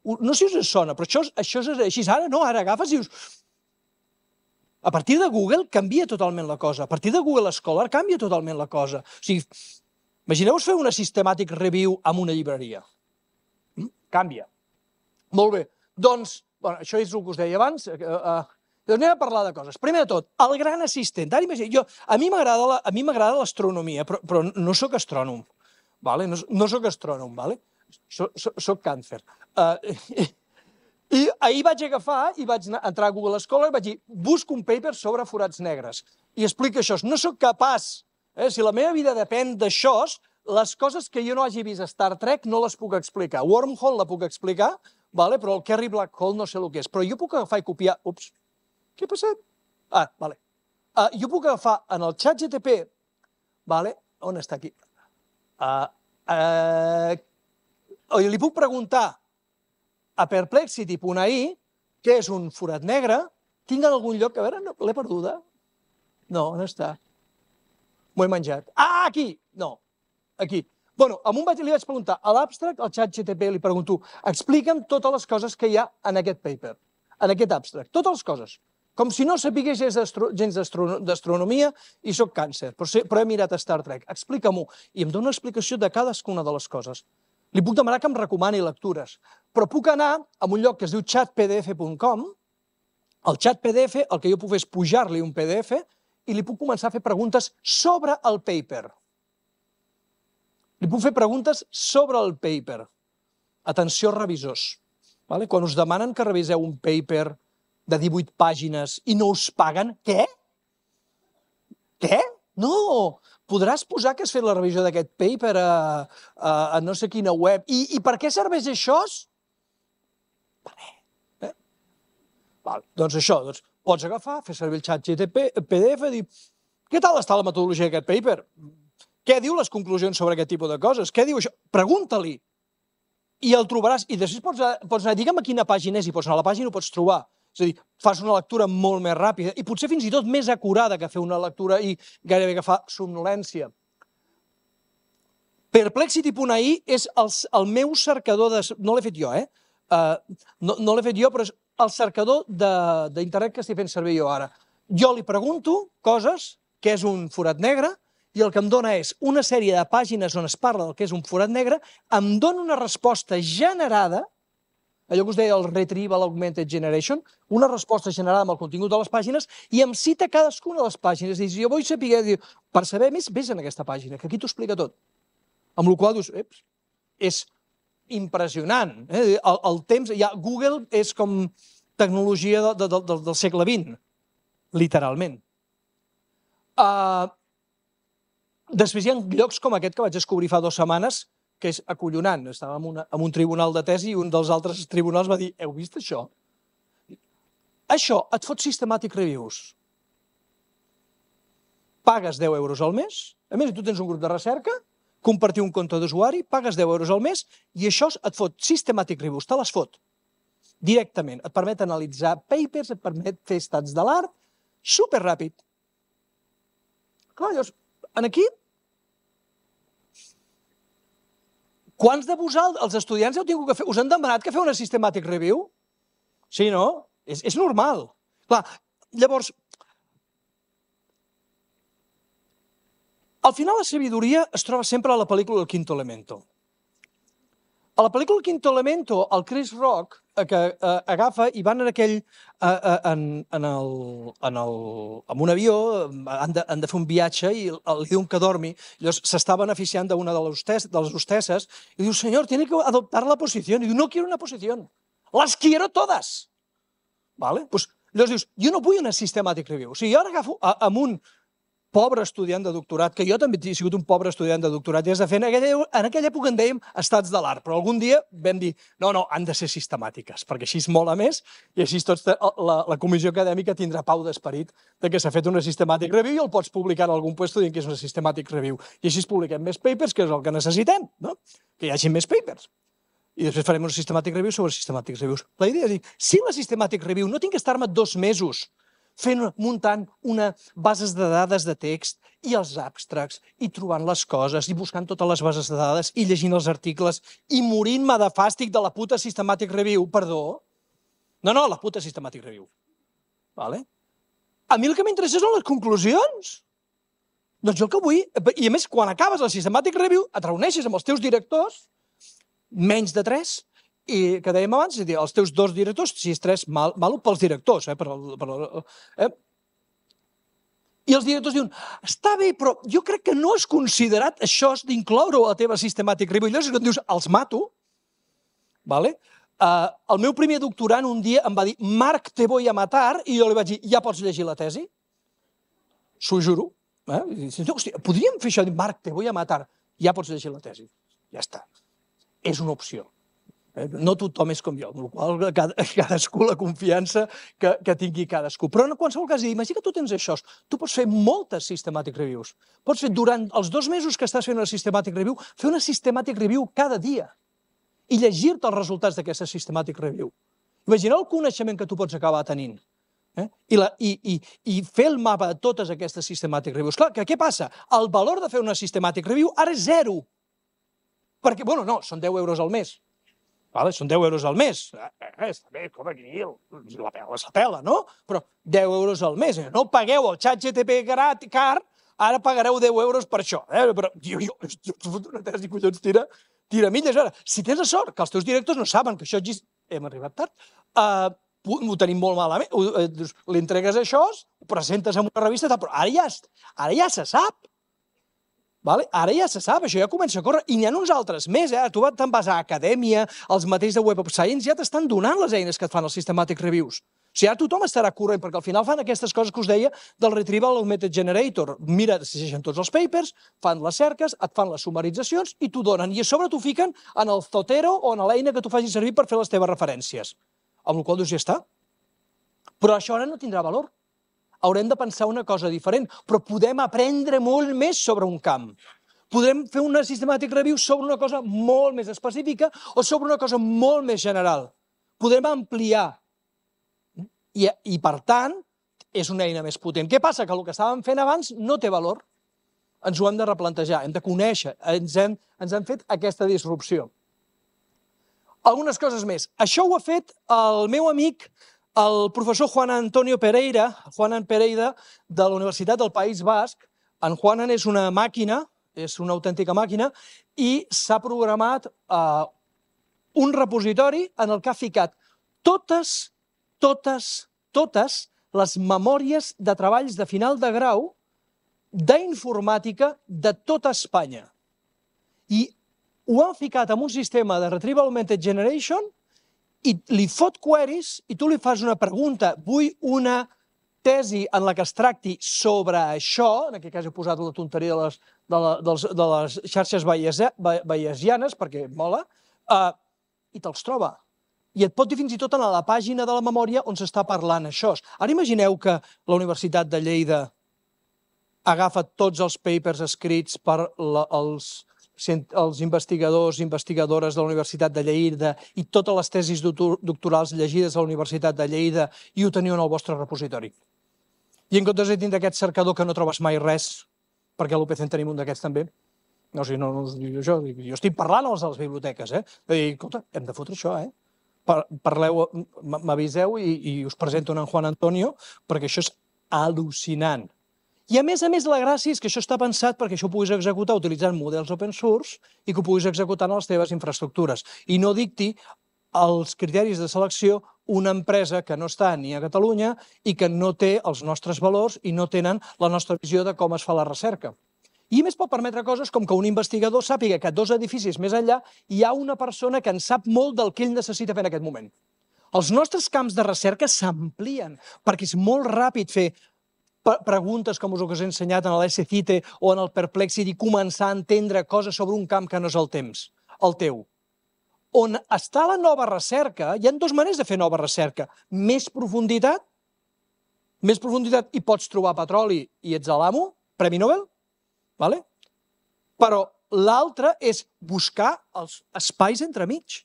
No sé si us sona, però això és així. Ara no, ara agafes i dius... A partir de Google canvia totalment la cosa. A partir de Google Scholar canvia totalment la cosa. O sigui, imagineu-vos fer una systematic review amb una llibreria. Canvia. Molt bé. Doncs, això és el que us deia abans. Anem a parlar de coses. Primer de tot, el gran assistent. A mi m'agrada l'astronomia, però no soc astrònom. No soc astrònom, soc càncer. I ahir vaig agafar i vaig entrar a Google Scholar i vaig dir, busco un paper sobre forats negres i explica això. No soc capaç, si la meva vida depèn d'això, les coses que jo no hagi vist a Star Trek no les puc explicar. Wormhole la puc explicar, però el Kerry Black Hole no sé el que és. Però jo puc agafar i copiar... Ups, què ha passat? Jo puc agafar en el ChatGTP, on està aquí? Li puc preguntar a perplexity.ai què és un forat negre. Tinc en algun lloc, a veure, l'he perduda? No, on està? M'ho he menjat. Ah, aquí! No, aquí. Bueno, li vaig preguntar a l'abstract, al ChatGTP, li pregunto, explica'm totes les coses que hi ha en aquest paper. en aquest abstract, totes les coses. Com si no sapigués gens d'astronomia i soc càncer, però he mirat Star Trek. Explica-m'ho. I em dona una explicació de cadascuna de les coses. Li puc demanar que em recomani lectures, però puc anar a un lloc que es diu chatpdf.com. Al xat PDF el que jo puc fer és pujar-li un PDF i li puc començar a fer preguntes sobre el paper. Li puc fer preguntes sobre el paper. Atenció, revisors. Quan us demanen que reviseu un paper de 18 pàgines i no us paguen, què? Què? No! Podràs posar que has fet la revisió d'aquest paper a no sé quina web. I per què serveix això? Per què? Doncs això, pots agafar, fer servir el xat PDF i dir què tal està la metodologia d'aquest paper? Què diu les conclusions sobre aquest tipus de coses? Què diu això? Pregunta-li. I el trobaràs. I després pots anar, digue'm a quina pàgina és, i pots anar a la pàgina i ho pots trobar. És a dir, fas una lectura molt més ràpida i potser fins i tot més acurada que fer una lectura i gairebé que fa somnolència. Perplexity.ai és el meu cercador de... No l'he fet jo, no l'he fet jo, però és el cercador d'internet que estic fent servir jo ara. Jo li pregunto coses, què és un forat negre, i el que em dona és una sèrie de pàgines on es parla del que és un forat negre, em dona una resposta generada, allò que us deia el Retrieval Augmented Generation, una resposta generada amb el contingut de les pàgines, i em cita cadascuna de les pàgines. I jo vull saber, per saber més, vés en aquesta pàgina, que aquí t'ho explica tot. Amb la qual cosa dius, és impressionant. El temps, Google és com tecnologia del segle XX, literalment. Després hi ha llocs com aquest que vaig descobrir fa 2 setmanes, que és acollonant. Estàvem en un tribunal de tesi i un dels altres tribunals va dir, heu vist això? Això et fot systematic reviews. Pagues 10 euros al mes, a més tu tens un grup de recerca, compartir un compte d'usuari, pagues 10 euros al mes i això et fot systematic reviews, te les fot directament. Et permet analitzar papers, et permet fer estats de l'art, superràpid. Clar, llavors, aquí, quants de vosaltres, els estudiants, heu tingut que fer, us han demanat que feu una systematic review? Sí, no? És normal. Clar, llavors, al final la sabidoria es troba sempre a la pel·lícula El Quinto Elemento. A la pel·lícula El Quinto Elemento, el Chris Rock, que agafa i van en un avió, han de fer un viatge i li diuen que dormi, llavors s'està beneficiant d'una de les hostesses i diu, senyor, tiene que adoptar la posició. I diu, no quiero una posició, las quiero todas. Llavors dius, jo no vull una systematic review. O sigui, jo ara agafo amb un pobre estudiant de doctorat, que jo també he sigut un pobre estudiant de doctorat, i has de fer, en aquella època en dèiem estats de l'art, però algun dia vam dir, no, han de ser sistemàtiques, perquè així es mola més, i així la comissió acadèmica tindrà pau d'esperit de que s'ha fet una systematic review i el pots publicar en algun lloc dient que és una systematic review. I així publiquem més papers, que és el que necessitem, que hi hagi més papers. I després farem una systematic review sobre systematic reviews. La idea és dir, si la systematic review no tinc que estar-me 2 mesos muntant bases de dades de text i els abstracts i trobant les coses i buscant totes les bases de dades i llegint els articles i morint-me de fàstic de la puta systematic review, perdó. No, la puta systematic review. A mi el que m'interessa són les conclusions. Doncs jo el que vull, i a més quan acabes la systematic review et reuneixes amb els teus directors, menys de 3, i que dèiem abans, els teus 2 directors, si és 3, malo pels directors. I els directors diuen, està bé, però jo crec que no has considerat això d'incloure-ho a la teva systematic review. Llavors, quan dius, els mato, el meu primer doctorant un dia em va dir, Marc, te voy a matar, i jo li vaig dir, ja pots llegir la tesi? S'ho juro. Hòstia, podríem fer això, Marc, te voy a matar, ja pots llegir la tesi. Ja està. És una opció. No tothom és com jo, amb la qual cadascú la confiança que tingui cadascú. Però en qualsevol cas, imagina que tu tens això, tu pots fer moltes systematic reviews. Pots fer durant els 2 mesos que estàs fent una systematic review, fer una systematic review cada dia i llegir-te els resultats d'aquesta systematic review. Imagina el coneixement que tu pots acabar tenint i fer el mapa de totes aquestes systematic reviews. Clar, què passa? El valor de fer una systematic review ara és 0. Perquè, no, són 10 euros al mes. Són 10 euros al mes. Està bé, com aquí, la pela se pela, no? Però 10 euros al mes. No pagueu el ChatGPT car, ara pagareu 10 euros per això. Però, una tesi, collons, tira milles. Ara, si tens la sort que els teus directors no saben que això existeix, hem arribat tard, ho tenim molt malament, li entregues això, ho presentes en una revista, però ara ja se sap. Ara ja se sap, això ja comença a córrer, i n'hi ha uns altres més. Tu te'n vas a Acadèmia, els mateixos de Web of Science ja t'estan donant les eines que et fan els Systematic Reviews. O sigui, ara tothom estarà corrent, perquè al final fan aquestes coses que us deia del Retrieval Augmented Generator. Mira, llegeixen tots els papers, fan les cerques, et fan les sumaritzacions i t'ho donen. I a sobre t'ho fiquen en el Zotero o en l'eina que tu facis servir per fer les teves referències. Amb la qual cosa ja està. Però això ara no tindrà valor. Haurem de pensar una cosa diferent, però podem aprendre molt més sobre un camp. Podem fer una systematic review sobre una cosa molt més específica o sobre una cosa molt més general. Podem ampliar. I per tant, és una eina més potent. Què passa? Que el que estàvem fent abans no té valor. Ens ho hem de replantejar, hem de conèixer, ens han fet aquesta disrupció. Algunes coses més. Això ho ha fet el meu amic, el professor Juan Antonio Pereira, de la Universitat del País Basc. En Juanan és una màquina, és una autèntica màquina, i s'ha programat un repositori en el que ha ficat totes les memòries de treballs de final de grau d'informàtica de tota Espanya. I ho han ficat en un sistema de Retrieval Augmented Generation i li fot queries i tu li fas una pregunta, vull una tesi en la que es tracti sobre això, en aquest cas he posat la tonteria de les xarxes bayesianes, perquè mola, i te'ls troba. I et pot dir fins i tot a la pàgina de la memòria on s'està parlant això. Ara imagineu que la Universitat de Lleida agafa tots els papers escrits per els investigadors i investigadores de la Universitat de Lleida i totes les tesis doctorals llegides a la Universitat de Lleida i ho teniu en el vostre repositori. I en comptes de tindre aquest cercador que no trobes mai res, perquè a l'UPC en tenim un d'aquests també, no us dic això, jo estic parlant als de les biblioteques, i escolta, hem de fotre això, parleu, m'aviseu i us presento en Juan Antonio, perquè això és al·lucinant. I a més, la gràcia és que això està pensat perquè això ho puguis executar utilitzant models open source i que ho puguis executar en les teves infraestructures i no dicti els criteris de selecció una empresa que no està ni a Catalunya i que no té els nostres valors i no tenen la nostra visió de com es fa la recerca. I a més pot permetre coses com que un investigador sàpiga que a 2 edificis més enllà hi ha una persona que en sap molt del que ell necessita fer en aquest moment. Els nostres camps de recerca s'amplien perquè és molt ràpid fer preguntes com us he ensenyat en l'SCITE o en el Perplexity i començar a entendre coses sobre un camp que no és el teu. On està la nova recerca, hi ha 2 maneres de fer nova recerca. Més profunditat i pots trobar petroli i ets a l'amo, Premi Nobel, però l'altre és buscar els espais entremig,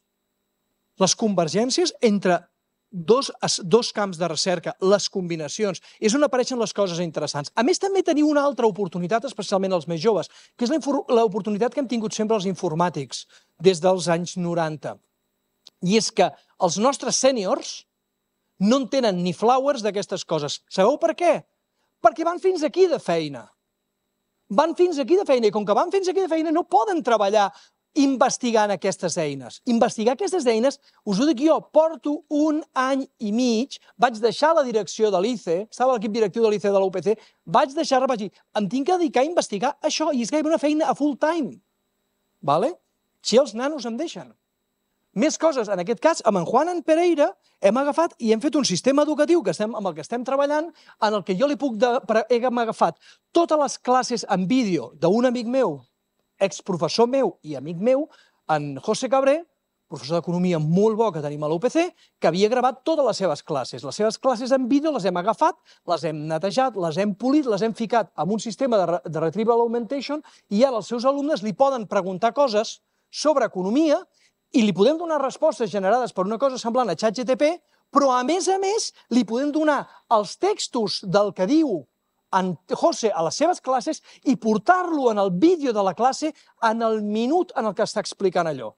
les convergències entre dos camps de recerca, les combinacions, és on apareixen les coses interessants. A més, també teniu una altra oportunitat, especialment els més joves, que és l'oportunitat que hem tingut sempre els informàtics des dels anys 90. I és que els nostres sèniors no en tenen ni flowers d'aquestes coses. Sabeu per què? Perquè van fins aquí de feina. Van fins aquí de feina, i com que van fins aquí de feina no poden treballar investigant aquestes eines. Investigar aquestes eines, us ho dic jo, porto 1 any i mig, vaig deixar la direcció de l'ICE, estava a l'equip directiu de l'ICE de la UPC, vaig deixar-la, vaig dir, em tinc que dedicar a investigar això, i és gairebé una feina a full time. Si els nanos em deixen. Més coses, en aquest cas, amb en Juan Pereira, hem agafat i hem fet un sistema educatiu amb el que estem treballant, en el que jo hem agafat totes les classes en vídeo d'un amic meu, exprofessor meu i amic meu, en José Cabré, professor d'economia molt bo que tenim a l'UPC, que havia gravat totes les seves classes. Les seves classes en vídeo les hem agafat, les hem netejat, les hem polit, les hem ficat en un sistema de Retrieval Augmentation i ara els seus alumnes li poden preguntar coses sobre economia i li podem donar respostes generades per una cosa semblant a ChatGPT, però a més, li podem donar els textos del que diu en José a les seves classes i portar-lo en el vídeo de la classe en el minut en el que està explicant allò.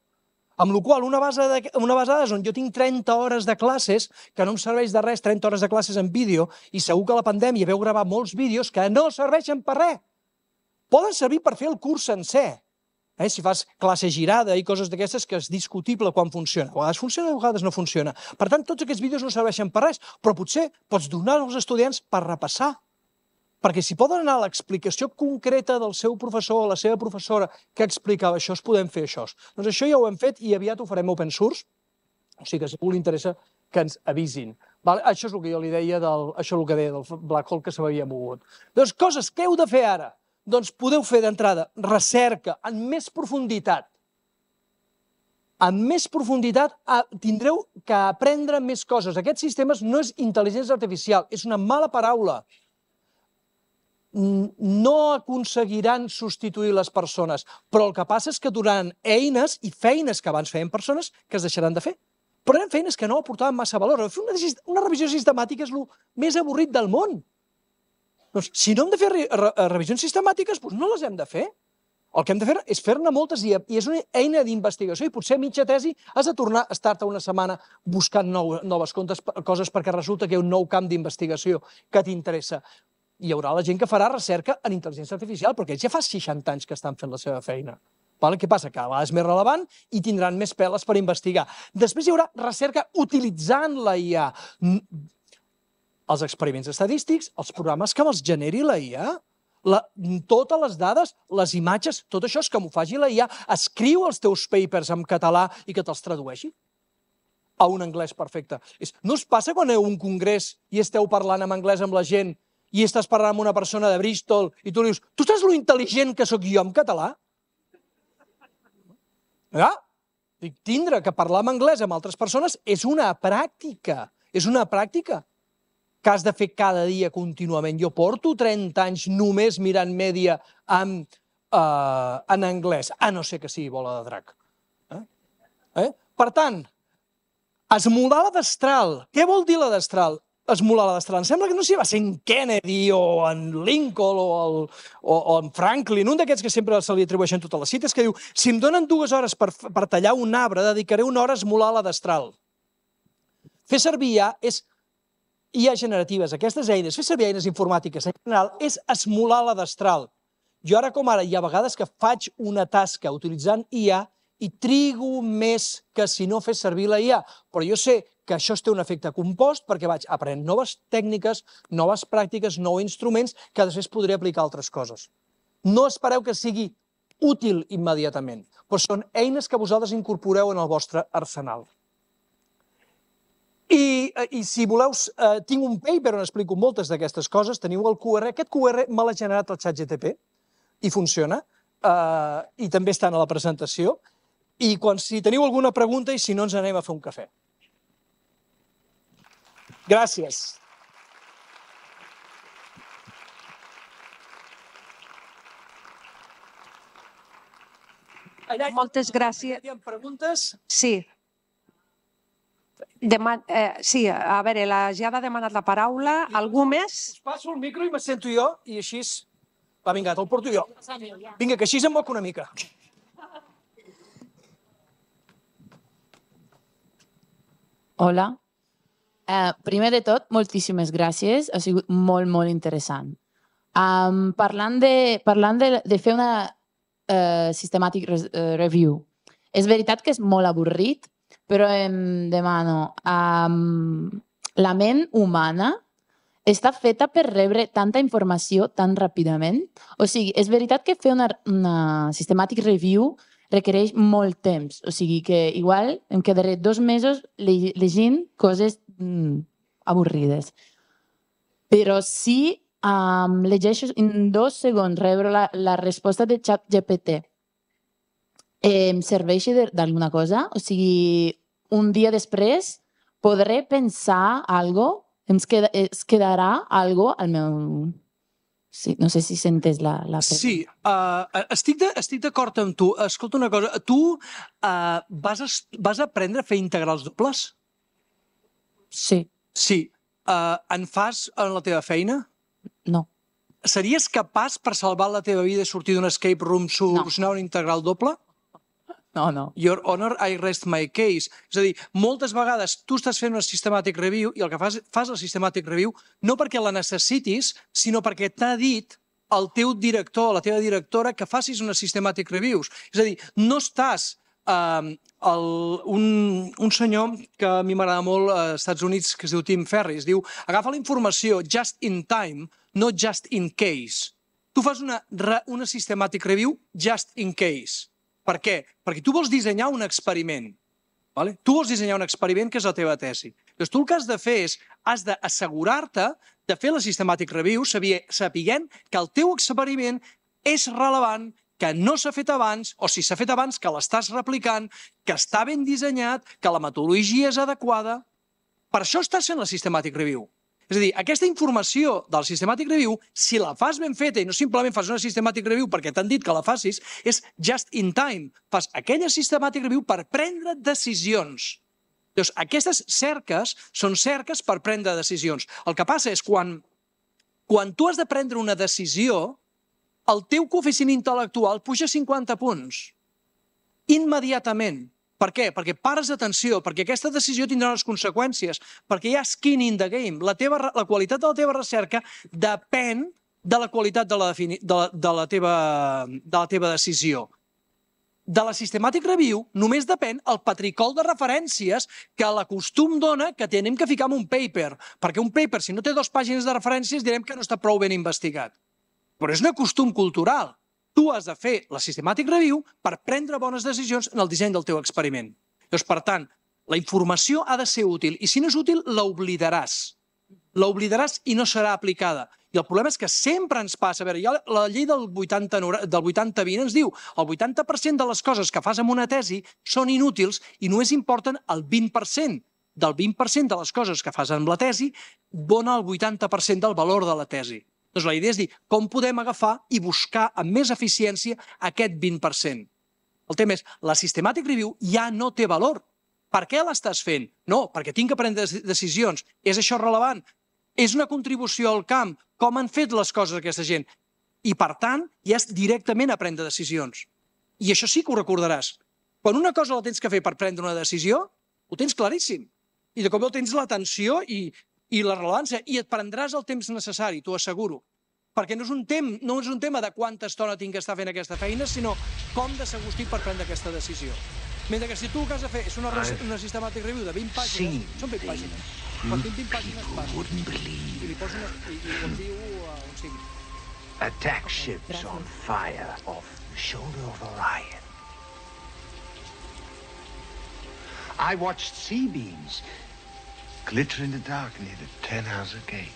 Amb la qual una base de dades on jo tinc 30 hores de classes, que no em serveix de res, 30 hores de classes en vídeo, i segur que a la pandèmia veu gravar molts vídeos que no serveixen per res. Poden servir per fer el curs sencer. Si fas classe girada i coses d'aquestes, que és discutible quan funciona. A vegades funciona, a vegades no funciona. Per tant, tots aquests vídeos no serveixen per res, però potser pots donar als estudiants per repassar. Perquè si poden anar a l'explicació concreta del seu professor o la seva professora que explicava això, podem fer això. Doncs això ja ho hem fet i aviat ho farem open source, o sigui que si a algú li interessa que ens avisin. Això és el que jo li deia del Black Hole que s'havia mogut. Doncs coses que heu de fer ara. Doncs podeu fer d'entrada recerca en més profunditat. En més profunditat tindreu que aprendre més coses. Aquests sistemes no és intel·ligència artificial, és una mala paraula. No aconseguiran substituir les persones, però el que passa és que donaran eines i feines que abans feien persones que es deixaran de fer. Però eren feines que no aportaven massa valor. Fer una revisió sistemàtica és el més avorrit del món. Doncs, si no hem de fer revisions sistemàtiques, doncs no les hem de fer. El que hem de fer és fer-ne moltes i és una eina d'investigació i potser a mitja tesi has de tornar a estar-te una setmana buscant noves coses perquè resulta que hi ha un nou camp d'investigació que t'interessa. Hi haurà la gent que farà recerca en intel·ligència artificial perquè ells ja fa 60 anys que estan fent la seva feina. Què passa? Que a vegades és més relevant i tindran més peles per investigar. Després hi haurà recerca utilitzant la IA. Els experiments estadístics, els programes que els generi la IA, totes les dades, les imatges, tot això és que m'ho faci la IA. Escriu els teus papers en català i que te'ls tradueixi a un anglès perfecte. No us passa quan aneu a un congrés i esteu parlant en anglès amb la gent i estàs parlant amb una persona de Bristol i tu li dius, tu saps lo intel·ligent que sóc jo en català? Dic, tindre que parlar en anglès amb altres persones és una pràctica. És una pràctica que has de fer cada dia contínuament. Jo porto 30 anys només mirant mèdia en anglès, a no ser que sigui bola de drac. Per tant, esmolar la destral. Què vol dir la destral? Esmolar la destral. Em sembla que no sé si va ser en Kennedy o en Lincoln o en Franklin, un d'aquests que sempre se li atribueixen totes les cites, que diu, si em donen 2 hores per tallar un arbre, dedicaré 1 hora a esmolar la destral. Fer servir IA generatives, aquestes eines, fer servir eines informàtiques en general, és esmolar la destral. Jo ara com ara, hi ha vegades que faig una tasca utilitzant IA i trigo més que si no fes servir la IA, però jo sé que això té un efecte compost perquè vaig aprenent noves tècniques, noves pràctiques, nous instruments que després podré aplicar altres coses. No espereu que sigui útil immediatament, però són eines que vosaltres incorporeu en el vostre arsenal. I si voleu, tinc un paper on explico moltes d'aquestes coses, teniu el QR, aquest QR me l'ha generat el ChatGPT i funciona, i també estan a la presentació, i si teniu alguna pregunta i si no ens anem a fer un cafè. Gràcies. Moltes gràcies. Hi ha preguntes? Sí. Sí, a veure, la Giada ha demanat la paraula. Algú més? Us passo el micro i me sento jo i així... Va, vinga, te'l porto jo. Vinga, que així em moc una mica. Hola. Primer de tot, moltíssimes gràcies. Ha sigut molt, molt interessant. Parlant de fer una systematic review, és veritat que és molt avorrit, però em demano, la ment humana està feta per rebre tanta informació tan ràpidament? O sigui, és veritat que fer una systematic review requereix molt temps. O sigui que igual em quedaré 2 mesos llegint coses avorrides. Però si llegeixo en 2 segons rebre la resposta de ChatGPT, em serveix d'alguna cosa? O sigui, un dia després podré pensar alguna cosa? Es quedarà alguna cosa al meu... Sí, no sé si s'entès la pregunta. Sí, estic d'acord amb tu. Escolta una cosa, tu vas aprendre a fer integrals dobles? Sí. Sí. En fas en la teva feina? No. Series capaç per salvar la teva vida i sortir d'un escape room solucionar un integral doble? No. Your honor, I rest my case. És a dir, moltes vegades tu estàs fent una systematic review i el que fas la systematic review no perquè la necessitis, sinó perquè t'ha dit el teu director o la teva directora que facis una systematic reviews. És a dir, no estàs... un senyor que a mi m'agrada molt als Estats Units, que es diu Tim Ferriss, diu agafa la informació just in time, no just in case. Tu fas una systematic review just in case. Per què? Perquè tu vols dissenyar un experiment. Tu vols dissenyar un experiment que és la teva tesi. Llavors, tu el que has de fer és, has d'assegurar-te de fer la systematic review sapiguent que el teu experiment és relevant, que no s'ha fet abans, o si s'ha fet abans, que l'estàs replicant, que està ben dissenyat, que la metodologia és adequada. Per això estàs fent la systematic review. És a dir, aquesta informació del systematic review, si la fas ben feta i no simplement fas una systematic review perquè t'han dit que la facis, és just in time. Fas aquella systematic review per prendre decisions. Llavors, aquestes cerques són cerques per prendre decisions. El que passa és quan tu has de prendre una decisió, el teu coeficient intel·lectual puja 50 punts. Immediatament. Per què? Perquè pares d'atenció, perquè aquesta decisió tindrà unes conseqüències, perquè hi ha skin in the game. La qualitat de la teva recerca depèn de la qualitat de la teva decisió. De la systematic review només depèn el patricol de referències que l'acostum dona que tenim que ficar en un paper, perquè un paper, si no té 2 pàgines de referències, direm que no està prou ben investigat. Però és un acostum cultural. Tu has de fer la systematic review per prendre bones decisions en el disseny del teu experiment. Llavors, per tant, la informació ha de ser útil, i si no és útil, l'oblidaràs. L'oblidaràs i no serà aplicada. I el problema és que sempre ens passa... A veure, la llei del 80-20 ens diu el 80% de les coses que fas amb una tesi són inútils i només importen el 20%. Del 20% de les coses que fas amb la tesi dona el 80% del valor de la tesi. Doncs la idea és dir, com podem agafar i buscar amb més eficiència aquest 20%. El tema és, la systematic review ja no té valor. Per què l'estàs fent? No, perquè tinc que prendre decisions. És això rellevant? És una contribució al camp? Com han fet les coses aquesta gent? I, per tant, ja és directament a prendre decisions. I això sí que ho recordaràs. Quan una cosa la tens que fer per prendre una decisió, ho tens claríssim. I de cop tens l'atenció i la rellevància, i et prendràs el temps necessari, t'ho asseguro. Perquè no és un tema de quanta estona tinc que estar fent aquesta feina, sinó com de segur estic per prendre aquesta decisió. Mentre que si tu el que has de fer és una systematic review de 20 pàgines, són 20 pàgines. Quan tinc 20 pàgines passo i li poso un diu un signe. Attack ships on fire off the shoulder of Orion. I watched sea beams glitter in the dark near the Tannhauser Gate.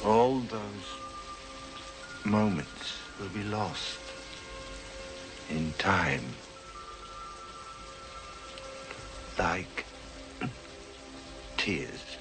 All those moments will be lost in time, like tears.